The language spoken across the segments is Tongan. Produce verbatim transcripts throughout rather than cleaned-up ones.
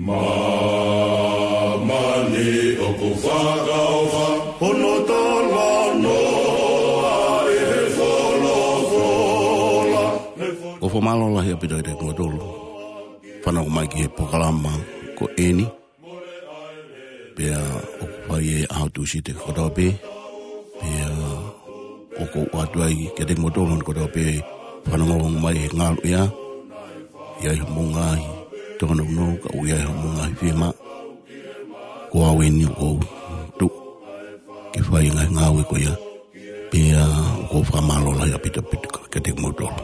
Māmani ʻoku fakaʻofa hono talanoa ʻi he folofola. ʻOku fakamālō lahi ʻaupito kiate kimoutolu fanongo mai ki he polokalama ko eni. Pea ʻoku fai ʻi he ʻaho Tūsite kotoa pē. Pea ʻoku ou ʻoatu ai kiate kimoutolu kotoa pē fanongo mai he ngaluʻea. ʻI ai hoʻomou ngaahi tōnounou, ka ʻoku ʻi ai hoʻomou ngaahi fiemaʻu, ko au eni ʻoku ou tuʻu ke fai e ngaahi ngāue ko ia. Pea ʻoku ou fakamālō lahi ʻaupito ʻaupito kiate kimoutolu.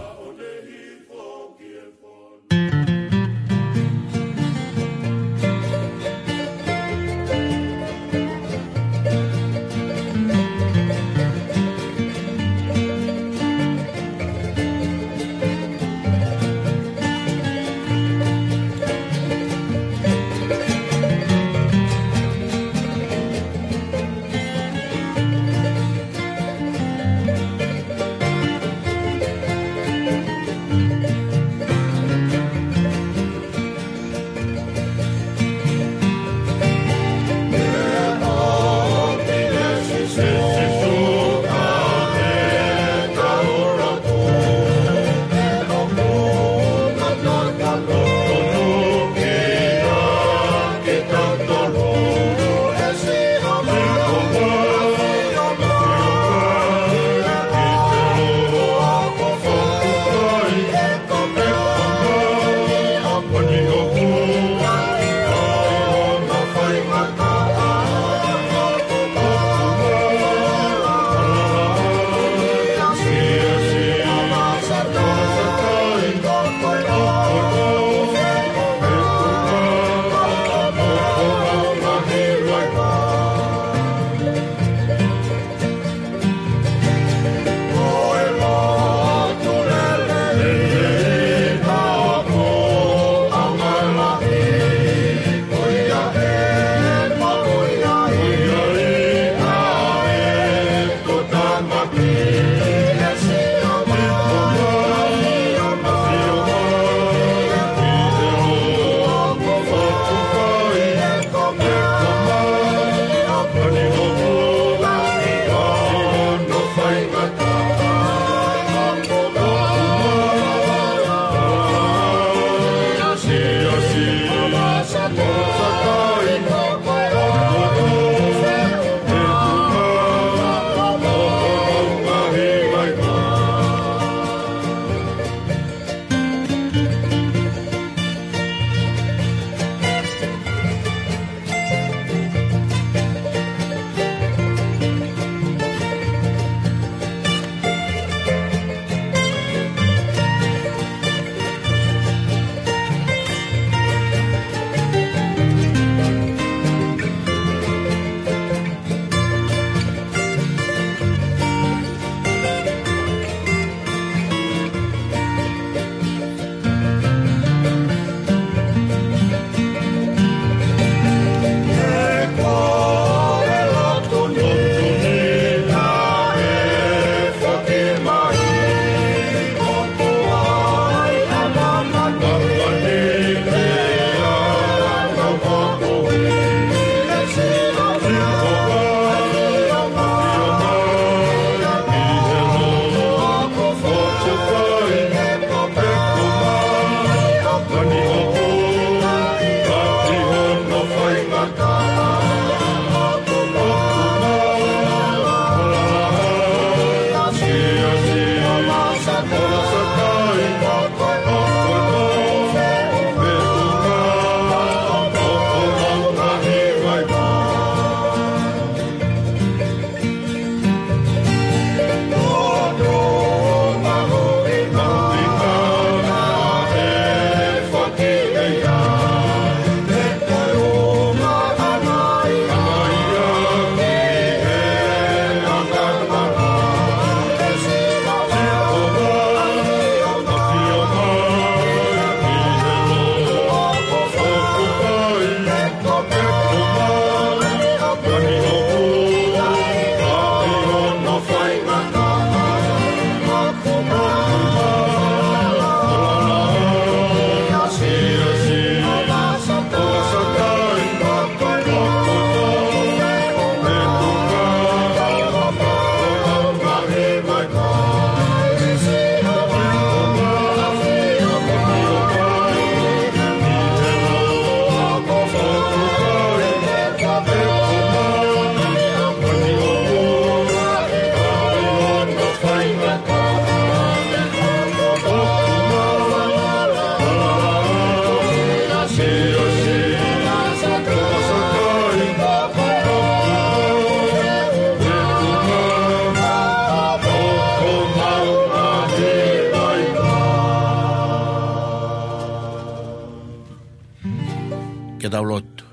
Ke tau lotu.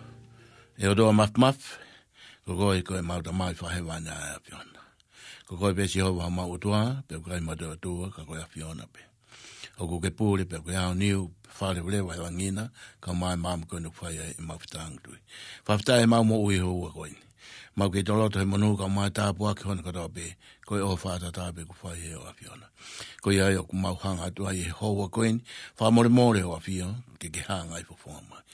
ʻE ʻOtua Mafimafi, ko koe ko ʻemau Tamai Fakahēvani ʻa e ʻAfiona. Ko koe pē Sihova homau ʻOtua, pea ʻoku ʻikai ha toe ʻOtua ka ko e ʻAfiona pē. ʻOku ke pule pē ʻoku ke aoniu, faleʻi leva ʻa e langi na, kae ʻumaʻā e maama ko eni ʻoku fai ai ʻemau fetāngi tui. Fakafetaʻi ʻemau moʻui he houa ko eni. Mau kei toloto he monū kae ʻumaʻā e tāpuaki hono kotoa pē, ko e ʻofa ʻataʻatā pē ʻoku fai ʻe ho ʻAfiona. Ko ia ai ʻoku mau hanga atu ai he houa ko eni, fakamolemole ho ʻAfio, ke ke hanga ʻo fofonga mai.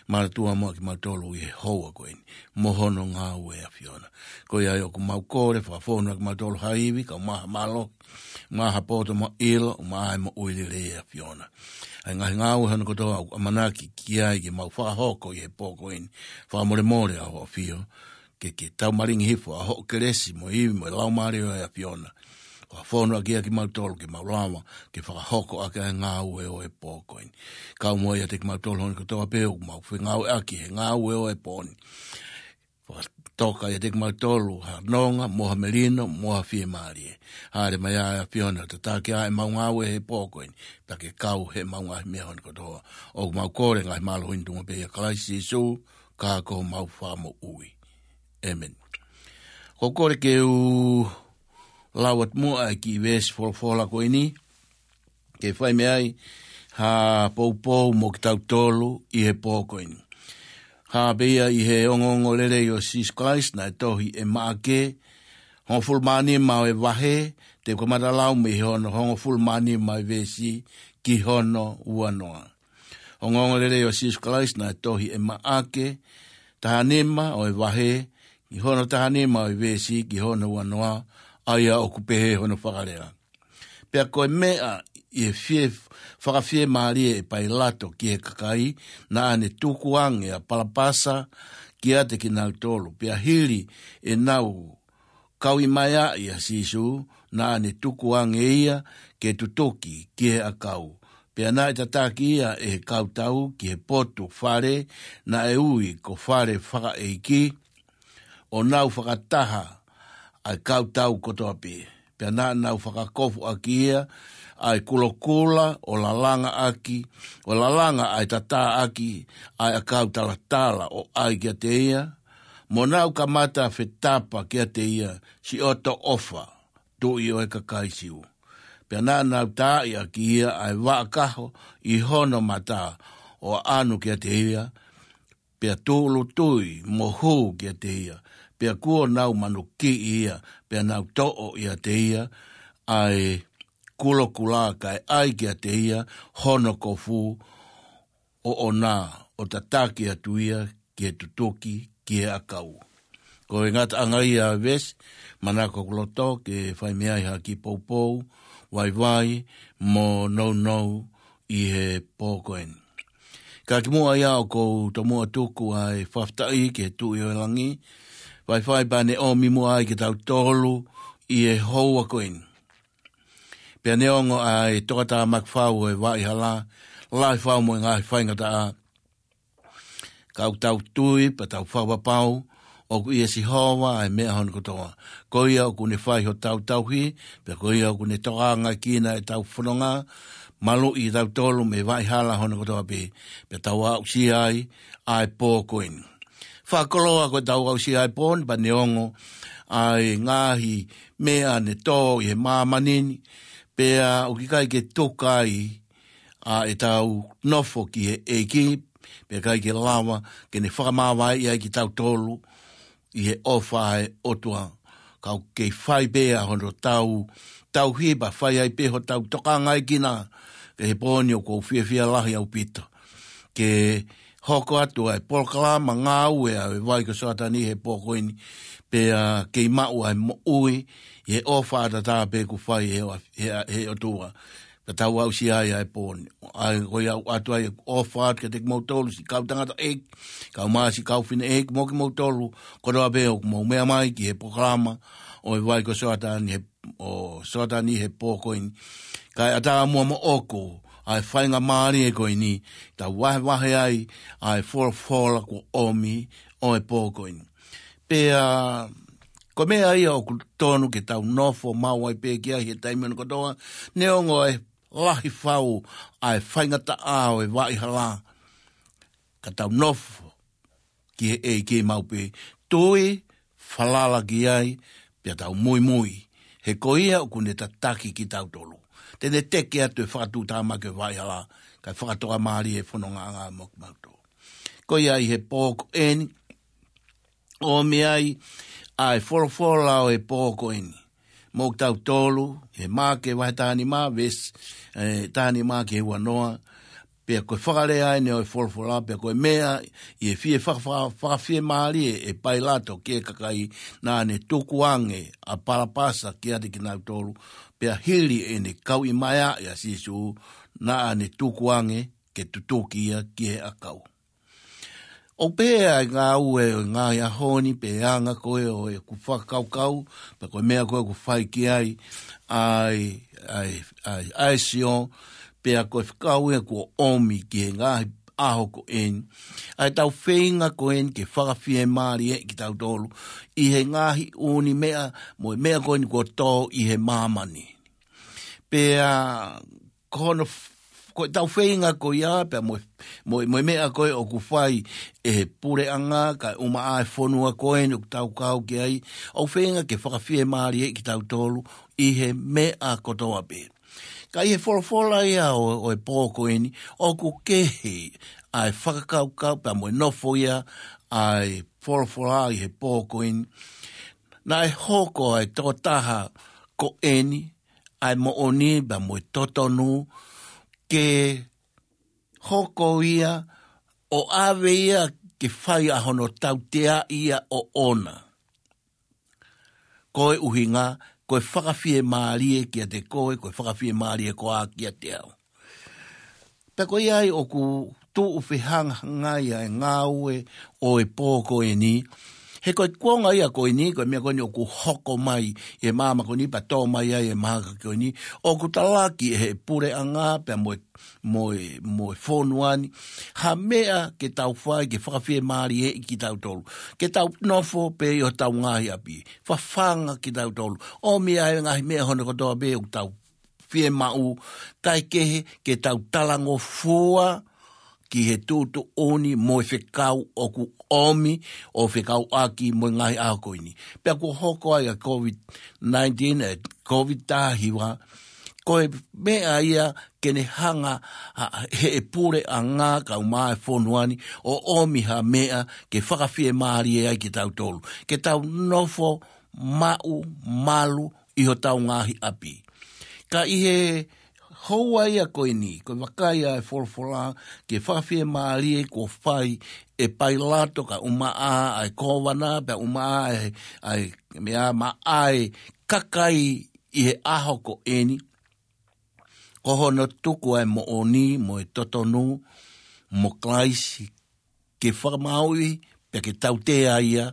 Manatua muʻa kimautolu ʻi he houa ko eni, mo hono ngāue ʻAfiona. Ko ia ai ʻoku mau kole, fakafonu ʻa kimautolu ha ivi, kae ʻumaʻā ha mālohi, ʻumaʻā ha poto mo ʻilo, ʻumaʻā e moʻui lelei ʻAfiona. ʻA e ngaahi ngāue hono kotoa ʻoku ʻamanaki ki ai ke mau fakahoko ʻi he pō ko eni, fakamolemole ʻa ho ʻAfio, ke ke taumalingi hifo ʻa hoʻo kelesi mo e ivi mo e Laumālie ʻo e ʻAfiona. Fakafonu ʻaki ʻa kimautolu ke mau lava, ke fakahoko ʻaki ʻa e ngāue ʻo e pō ko eni. Kau mo ia ʻiate kimautolu hono kotoa pē ʻoku mau fengāueʻaki he ngāue ʻo e pō ni. Fakatoka ʻiate kimautolu ha nonga, mo ha melino, mo ha fiemālie. Haʻele mai ʻa e ʻAfiona, tataki ʻa ʻemau ngāue he pō ko eni, pea ke kau heʻemau ngaahi meʻa hono kotoa. ʻOku mau kole ngaahi mālohi ni tuʻunga pē ʻia Kalaisi Sīsū, ka ko homau Fakamoʻui. ʻĒmeni. ʻOku ou kole ke u lau atu muʻa e kiʻi veesi folofola ko eni, ke fai mei ai ha poupou mo kitautolu ʻi he pō ko eni. Hā pē ia ʻi he ongoongolelei ʻo Sīsū Kalaisi naʻe tohi ʻe Maʻake, hongofulu mā nima ʻo e vahe, te u kamata lau mei he hono hongofulu mā nima ʻo e veesi ki hono ua noa. Ongoongolelei ʻo Sīsū Kalaisi naʻe tohi ʻe Maʻake, taha nima ʻo e vahe, ki hono taha nima ʻo e veesi ki hono ua noa, ʻa ia ʻoku pehē hono fakalea. Pea ko e meʻa ʻi he fie, fakafiemālie ʻe Pailato ki he kakai, naʻa ne tukuange ʻa Palapasa kiate kinautolu. Pea hili ʻenau kauʻi mai ʻa Sīsū, naʻa ne tukuange ia ke tutuki ki he ʻakau. Pea naʻe tataki ia ʻe he kau tau ki he potu fale naʻe ui ko Fale Fakaʻeiki, ʻo nau fakataha ʻa e kau tau kotoa pē. Pea naʻa nau fakakofuʻaki ia ʻa e kulokula, ʻo lalanga ʻaki, ʻo lalanga ʻa e tatā ʻaki ʻa e ʻakau talatala, ʻo ʻai kiate ia, mo nau kamata fetapa kiate ia, siʻoto ʻofa, Tuʻi ʻo e kakai Siu. Pea naʻa nau taaʻi ʻaki ia ʻa e vaʻa kaho ʻi hono mata, ʻo ʻanu kiate ia, pea tūʻulutui mo hū kiate ia, pea kuo nau manukiʻi ia, pea nau toʻo ʻiate ia ʻa e kulokula, kae ʻai kiate ia hono kofu, ʻo ʻona, ʻo tataki atu ia ki he tutuki ki he ʻakau. Ko e ngataʻanga ia ʻo e veesi, manako ʻoku loto ke fai mei ai ha kiʻi poupou, vaivai, mo nounou ʻi he pō ko eni. Ka kimuʻa ia ʻoku ou tomuʻa tuku ʻa e fakafetaʻi ki he Tuʻi ʻo e langi, faifai pea ne ʻomi muʻa ai kitautolu ʻi he houa ko eni. Pea neongo ʻa e tokatāmaki fau ʻo e vaʻa hala, lahi fau mo e ngaahi faingataʻa, ka ʻoku tau tui, pea tau fakapapau, ʻoku ʻia Sihova ʻa e meʻa hono kotoa. Ko ia ʻoku ne fai hotau tauhi, pea ko ia ʻoku ne tokangaʻi kinautolu ʻi heʻetau fononga, maluʻi kitautolu mei he vaʻa hala hono kotoa pē, pea tau aʻusia ai ʻa e pō ko eni. Fakakoloa ko ʻetau aʻusia ʻa e pō ni, pea neongo ʻa e ngaahi meʻa ne tō ʻi he māmani ni, pea ʻoku ʻikai ke tuku ai ʻa ʻetau nofo ki he ʻEiki, pea ʻikai ke lava ke ne fakamāvaeʻi ai kitautolu ʻi he ʻofa ʻa e ʻOtua. Ka ʻoku kei fai pē ʻa hono tau, tauhi pea fai ai pē hotau tokangaʻi kinautolu, ka ʻi he pō ni ʻoku ou fiefia lahi ʻaupito ke hoko atu ʻa e polokalama ngāue ʻa e vai ko Soatani he pō ko eni, pea kei maʻu ʻa e moʻui ʻi he ʻofa ʻataʻatā pē ʻoku fai ʻe he, he, he ʻOtua. Pea tau aʻusia ai ʻa e pō ni. ʻA ia ko ia ʻoku ʻoatu ai ʻofa atu kiate kimoutolu siʻi kau tangataʻeiki, kae ʻumaʻā siʻi kau fineʻeiki mo kimoutolu kotoa pē ʻoku mou meʻa mai ki he polokalama ʻo e vai ko Soatani he, ʻo Soatani he pō ko eni. Kae ʻatā muʻa moʻoku ʻa e faingamālie ko eni, tau vahevahe ai ʻa e folofola kuo ʻomi ʻo e pō ko eni. Pea ko e meʻa ia ʻoku totonu ke tau nofo maʻu ai pē ki ai he taimi hono kotoa, neongo ʻa e lahi fau ʻa e faingataʻa ʻo e vaʻa hala, ka tau nofo ki he ʻEiki maʻu pē, tui, falala ki ai, pea tau muimui. He ko ia ʻoku ne tataki kitautolu. Te ne teke atu e fakatuʻutāmaki ʻo e vaʻa hala, kae fakatokamālie e fonongaʻanga mo kimautolu. Ko ia ʻi he pō ko eni, ʻomi ai ʻa e folofola ʻo e pō ko eni. Mo kitautolu, he Maʻake vahe taha nima, veesi, ē, taha nima ki he ua noa, pea ko e fakalea eni ʻo e folofola, pea ko e meʻa ʻi he fie faka-, faka-, fakafiemālie ʻe Pailato ki he kakai, naʻa ne tukuange ʻa Palapasa kiate kinautolu, pea hili ʻene kauʻimaeaʻi ʻa Sīsū, naʻa ne tukuange ke tutuki ia ki he ʻakau. ʻOku pehē ʻa e ngāue ʻo e ngaahi ʻaho ni pe anga ko ē ʻo ʻeku fakakaukau, pe ko e meʻa ko ē ʻoku fai ki ai ʻa e, ʻa e, ʻa e, ʻa e sio, pea ko e fekau ia kuo ʻomi ki he ngaahi ʻaho ko eni. ʻA e tau feinga ko eni ke fakafiemālieʻi kitautolu ʻi he ngaahi ʻū meʻa, mo e meʻa ko eni kuo tō ʻi he māmani. Pea ko hono f-, ko e tau feinga ko ia, pea mo, mo, mo e meʻa ko ē ʻoku fai ʻe he puleʻanga, kae ʻumaʻā e fonua ko eni ʻoku tau kau ki ai, ʻoku feinga ke fakafiemālieʻi kitautolu ʻi he meʻa kotoa pē. Ka ʻi he folofola ia ʻo, ʻo e pō ko eni, ʻoku kehe ʻa e fakakaukau pea mo e nofo ia ʻa e folofola ʻi he pō ko eni. Naʻe hoko ʻa e tokotaha ko eni, ʻa e moʻoni pea mo e totonu, ke hoko ia ʻo ʻave ia ke fai ʻa hono tautea ia ʻoʻona. Ko e ʻuhinga, ko e fakafiemālie kiate koe, ko e fakafiemālie koā kiate au. Pea ko ia ai ʻoku tuʻu fehangahangai ʻa e ngāue ʻo e pō ko eni. He ko e kuonga ia ko eni, ko e meʻa ko eni ʻoku hoko mai ʻi he māmani ko eni, pea tō mai ai e mahaki ko eni. ʻOku talaki ʻe he puleʻanga, pea mo e, mo e, mo e fonua ni. Ha meʻa ke tau fai, ke fakafiemālieʻi kitautolu. Ke tau nofo pē ʻi hotau ngaahi ʻapi. Fafanga kitautolu. ʻOmi ʻa e ngaahi meʻa hono kotoa pē ʻoku tau fiemaʻu, kae kehe ke tau talangofua ki he tuʻutuʻuni mo e fekau ʻoku ʻomi ʻo fekauʻaki mo e ngaahi ʻaho ko eni. Pea kuo hoko ai ʻa e COVID nineteen, ʻa e COVID taha hiva, ko e meʻa ia ke ne hanga ʻa, ʻe he puleʻanga kae ʻumaʻā e fonua ni ʻo ʻomi ha meʻa ke fakafiemālie ai kitautolu. Ke tau nofo maʻu malu ʻi hotau ngaahi ʻapi. Ka ʻi he houa ia ko eni, ko e vakai ʻa e folofola ki he fakafiemālie kuo fai ʻe Pailato kae ʻumaʻā ʻa e kōvana, pea ʻumaʻā ʻa e, ʻa e meʻa maʻa e kakai ʻi he ʻaho ko eni. Ko hono tuku ʻa e moʻoni mo e totonu mo Kalaisi ke fakamaauʻi, pea ke tautea ia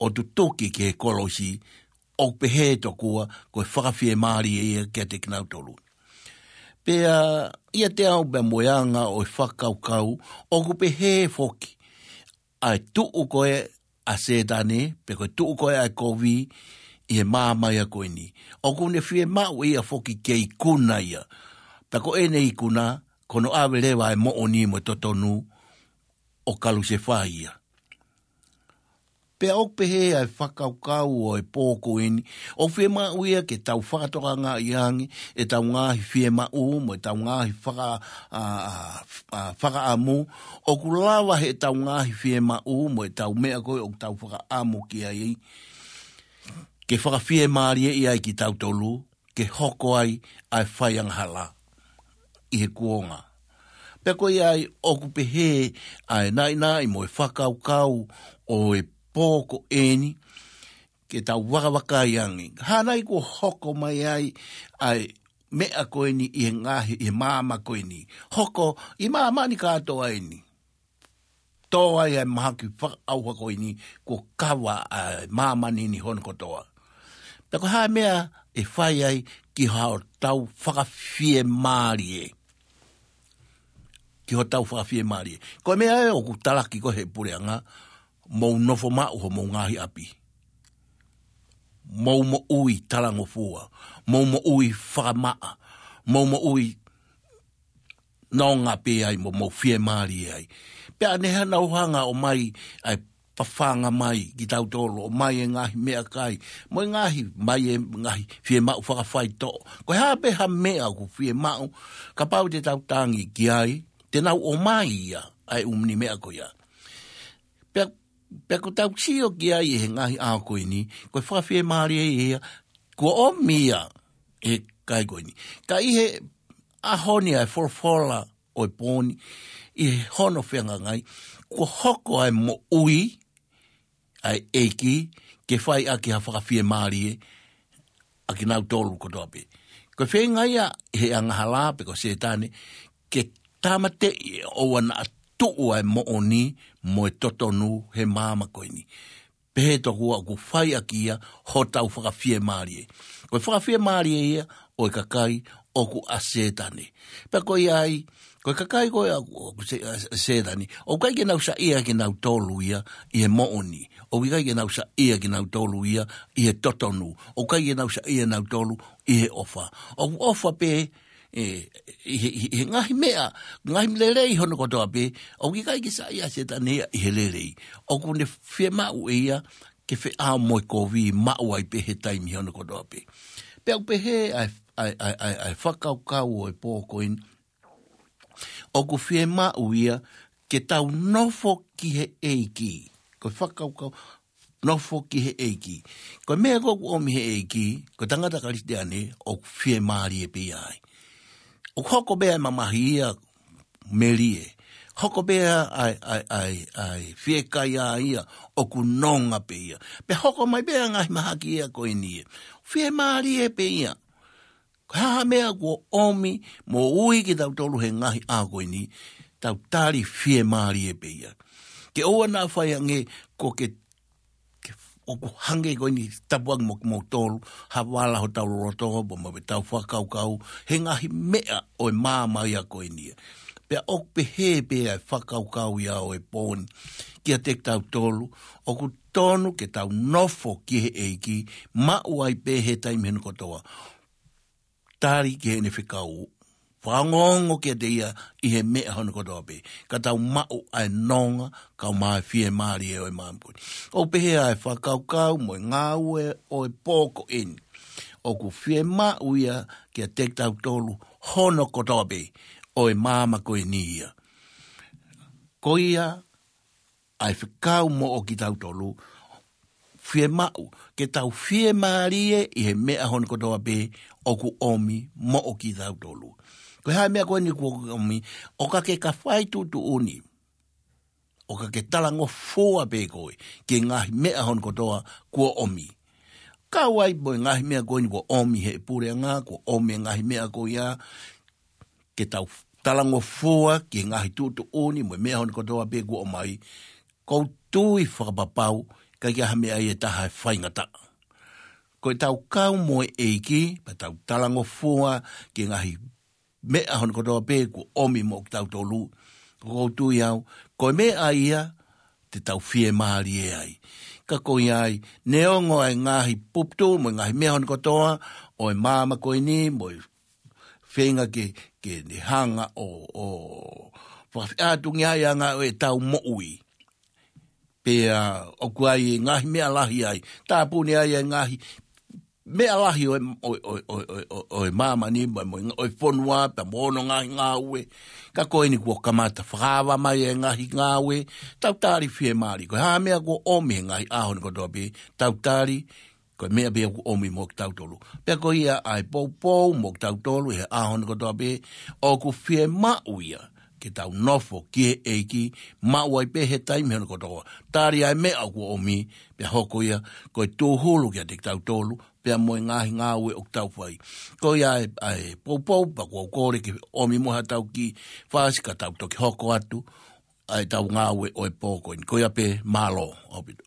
ʻo tutuki ki he kolosi, ʻoku pehē tokua ko e fakafiemālie ia kiate kinautolu. Pea ʻiate au pea mo e anga ʻo e fakakaukau, ʻoku pehē foki ʻa e tuʻu ko ē ʻa Sētane, pe ko e tuʻu ko ē ʻa e kovi ʻi he māmani ko eni. ʻOku ne fiemaʻu ia foki ke ikuna ia. Pea ko ʻene ikuna, ko hono ʻave leva ʻa e moʻoni mo e totonu ʻo kalusefai ia. Pea ʻoku pehē ʻa e fakakaukau ʻo e pō ko eni, ʻoku fiemaʻu ia ke tau fakatokangaʻi ange ʻetau ngaahi fiemaʻu, mo ʻetau ngaahi faka-, ʻa, ʻa, ʻa, fakaʻamu, ʻoku lava heʻetau ngaahi fiemaʻu, mo ʻetau meʻa ko ē ʻoku tau fakaʻamu ki ai, ke fakafiemālieʻi ai kitautolu, ke hoko ai ʻa e fai angahala ʻi he kuonga. Pea ko ia ai ʻoku pehē ʻa e naʻinaʻi mo e fakakaukau ʻo e pō ko eni, ke tau vakavakai ange. Hā nai kuo hoko mai ai ʻa e meʻa ko eni ʻi he ngaahi, ʻi he māmani ko eni. Hoko ʻi māmani kātoa eni. Tō ai ʻa e mahaki fakaʻauha ko eni kuo kava ʻa e māmani ni hono kotoa. Pea ko e hā e meʻa ʻe fai ai ki hotau fakafiemālie. Ki hotau fakafiemālie. Ko e meʻa ē ʻoku talaki ko ē he puleʻanga, mou nofo maʻu homou ngaahi ʻapi. Mou moʻui talangofua. Mou moʻui fakamaʻa. Mou moʻui nonga pē ai mo mou fiemālie ai. Pea ne hanga ʻo hanga ʻo ʻomai ʻa e pafanga mai kitautolu, ʻomai e ngaahi meʻakai, mo e ngaahi, mai e ngaahi fiemaʻu fakafaitoʻo. Ko e hā pē ha meʻa ʻoku fiemaʻu, kapau te tau tangi ki ai, te nau ʻomai ia, ʻa e ʻū meʻa ko ia. Pea, pea ko ʻetau sio ki ai he ngaahi ʻaho ko eni, ko e fakafiemālie ia, kuo ʻomi ia he kakai ko eni. Ka ʻi he ʻaho ni ʻa e folofola ʻo e pō ni, ʻi he hono fehangahangai, kuo hoko ʻa e moʻui ʻa e ʻEiki ke fai ʻaki ha fakafiemālie ʻa kinautolu kotoa pē. Ko e feinga ia he angahala pe ko Sētane, ke tāmateʻi ʻoua naʻa tuʻu ʻa e moʻoni mo e totonu he māmani ko eni. Pehē tokua ʻoku fai ʻaki ia hotau fakafiemālie. Ko e fakafiemālie ia ʻo e kakai ʻoku ʻa Sētane. Pea ko ia ai, ko e kakai ko ia ʻoku, ʻoku Se-, ʻa Sētane, ʻoku ʻikai ke nau saiʻia kinautolu ia ʻi he moʻoni. ʻOku ʻikai ke nau saiʻia kinautolu ia ʻi he totonu. ʻOku ʻikai ke nau saiʻia kinautolu ʻi he ʻofa. ʻOku ʻofa pē, ē, ʻi he, ʻi he, ʻi he ngaahi meʻa, ngaahi lelei hono kotoa pē, ʻoku ʻikai ke saiʻia ʻa Sētane ia ʻi he lelei. ʻOku ne fiemaʻu ʻe ia ke feʻao mo e kovi maʻu ai pē he taimi hono kotoa pē. Pea ʻoku pehē ʻa e, ʻa e, ʻa e, ʻa e, ʻa e fakakaukau ʻo e pō ko eni, ʻoku fiemaʻu ia ke tau nofo ki he ʻEiki. Ko e fakakaukau, nofo ki he ʻEiki. Ko e meʻa ko ē ʻoku ʻomi he ʻEiki, ko e tangata Kalisitiane ʻoku fiemālie pē ia ai. ʻOku hoko pē ʻa e mamahi ia melie. Hoko pē ʻa e, ʻa e, ʻa e, ʻa e fiekaia ia ʻoku nonga pē ia. Pea hoko mai pē ʻa e ngaahi mahaki ia ko eni ia. Fiemālie pē ia. Ko e hā ha meʻa kuo ʻomi moʻui kitautolu he ngaahi ʻaho ko eni, tau tali fiemālie pē ia. Ke ʻoua naʻa fai ange ko ke, ke ʻoku hangē ko eni tapu ange mo kimoutolu, ha vala hotau loto, pea mo ʻetau fakakaukau, he ngaahi meʻa ʻo e māmani ia ko eni ia. Pea ʻoku pehē pē ʻa e fakakaukau ia ʻo e pō ni kiate kitautolu, ʻoku tonu ke tau nofo ki he ʻEiki, maʻu ai pē he taimi hono kotoa. Tali ki heʻene fekau. Fakaongoongo kiate ia ʻi he meʻa hono kotoa pē. Ka tau maʻu ʻa e nonga, kae ʻumaʻā e fiemālie ʻo e māmani ko eni. ʻOku pehē ʻa e fakakaukau mo e ngāue ʻo e pō ko eni. ʻOku fiemaʻu ia kiate kitautolu hono kotoa pē ʻo e māmani ko eni ia. Ko ia ʻa e fekau moʻo kitautolu, fiemaʻu ke tau fiemālie ʻi he meʻa hono kotoa pē ʻoku ʻomi moʻo kitautolu. Ko e hā e meʻa ko eni kuo ʻomi, ʻo ka ke ka fai tuʻutuʻuni, ʻo ka ke talangofua pē koe ki he ngaahi meʻa hono kotoa kuo ʻomi. Kau ai mo e ngaahi meʻa ko eni kuo ʻomi he puleʻanga, kuo ʻomi e ngaahi meʻa ko ia, ke tau talangofua ki he ngaahi tuʻutuʻuni mo e meʻa hono kotoa pē kuo ʻomai, ʻoku ou tui fakapapau, ʻikai ke ʻi ai ha meʻa ia ʻe taha ʻe faingataʻa. Ko ʻetau kau mo e ʻEiki, pea tau talangofua ki he ngaahi meʻa hono kotoa pē kuo ʻomi moʻo kitautolu, ʻoku ou tui au, ko e meʻa ia te tau fiemālie ai. Ka ko ia ai, neongo ʻa e ngaahi puputuʻu mo e ngaahi meʻa hono kotoa ʻo e māmani ko eni, mo e feinga ke, ke ne hanga ʻo, ʻo fakafeʻātungiaʻi ʻa e ngāue ʻetau moʻui. Pea ʻoku ʻi ai e ngaahi meʻa lahi ai. Tāpuni ai e ngaahi meʻa lahi ʻo e, ʻo, ʻo e māmani, mo, mo, ʻo e fonua, pea mo hono ngaahi ngāue. Ka ko eni kuo kamata fakaava mai e ngaahi ngāue. Tau tali fiemālie. Ko e hā e meʻa kuo ʻomi he ngaahi ʻaho ni kotoa pē. Tau tali, ko e meʻa pē ia kuo ʻomi moʻo kitautolu. Pea ko ia ʻa e poupou moʻo kitautolu he ʻaho ni kotoa pē, ʻoku fiemaʻu ia ke tau nofo ki he ʻEiki, maʻu ai pē he taimi hono kotoa. Tali ʻa e meʻa kuo ʻomi, pea hoko ia ko e tūhulu kiate kitautolu, pea mo e ngaahi ngāue ʻoku tau fai. Ko ia ʻa e, ʻa e poupou, pea ʻoku ou kole ke ʻomi mo ha tau kiʻi fasi ka tau toki hoko atu ʻa ʻetau ngāue ʻo e pō ko eni. Ko ia pē, mālō ʻaupito.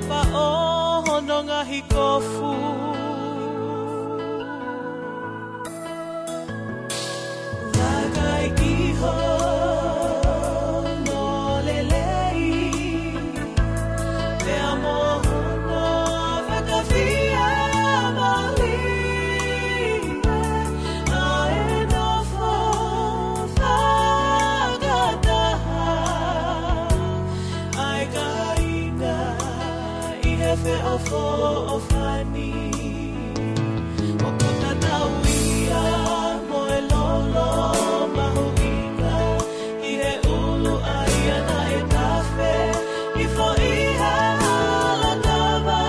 Paʻo hono ngaahi kofu. Vakai ki hono lelei, pea mo hono fakafiemālie, ʻa e nofo fakataha ʻa e kāinga ʻi he feʻofoʻofani. ʻOku tatau ia mo e lolo mahuʻinga ʻi he ʻulu ʻa ia naʻe tafe hifo ʻi he hala kava.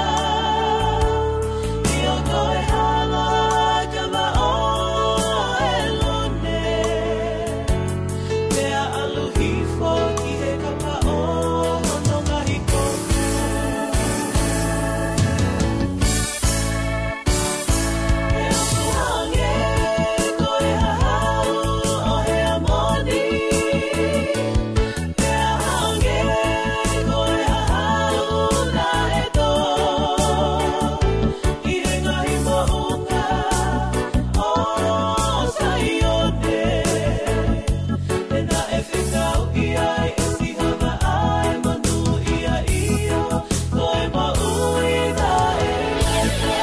ʻIo, ko e hala kava ʻo ʻElone, pea ʻalu hifo ki he kapa ʻo hono ngaahi kofu. Pea ʻoku hangē ko e hahau ʻo Heamoni, pea hangē ko e hahau naʻe tō ʻi he ngaahi moʻunga ʻo Saione. Pea naʻe fekauʻi ai ʻe Sihova ʻa e monūʻia, ʻio, ko e moʻui taʻengata.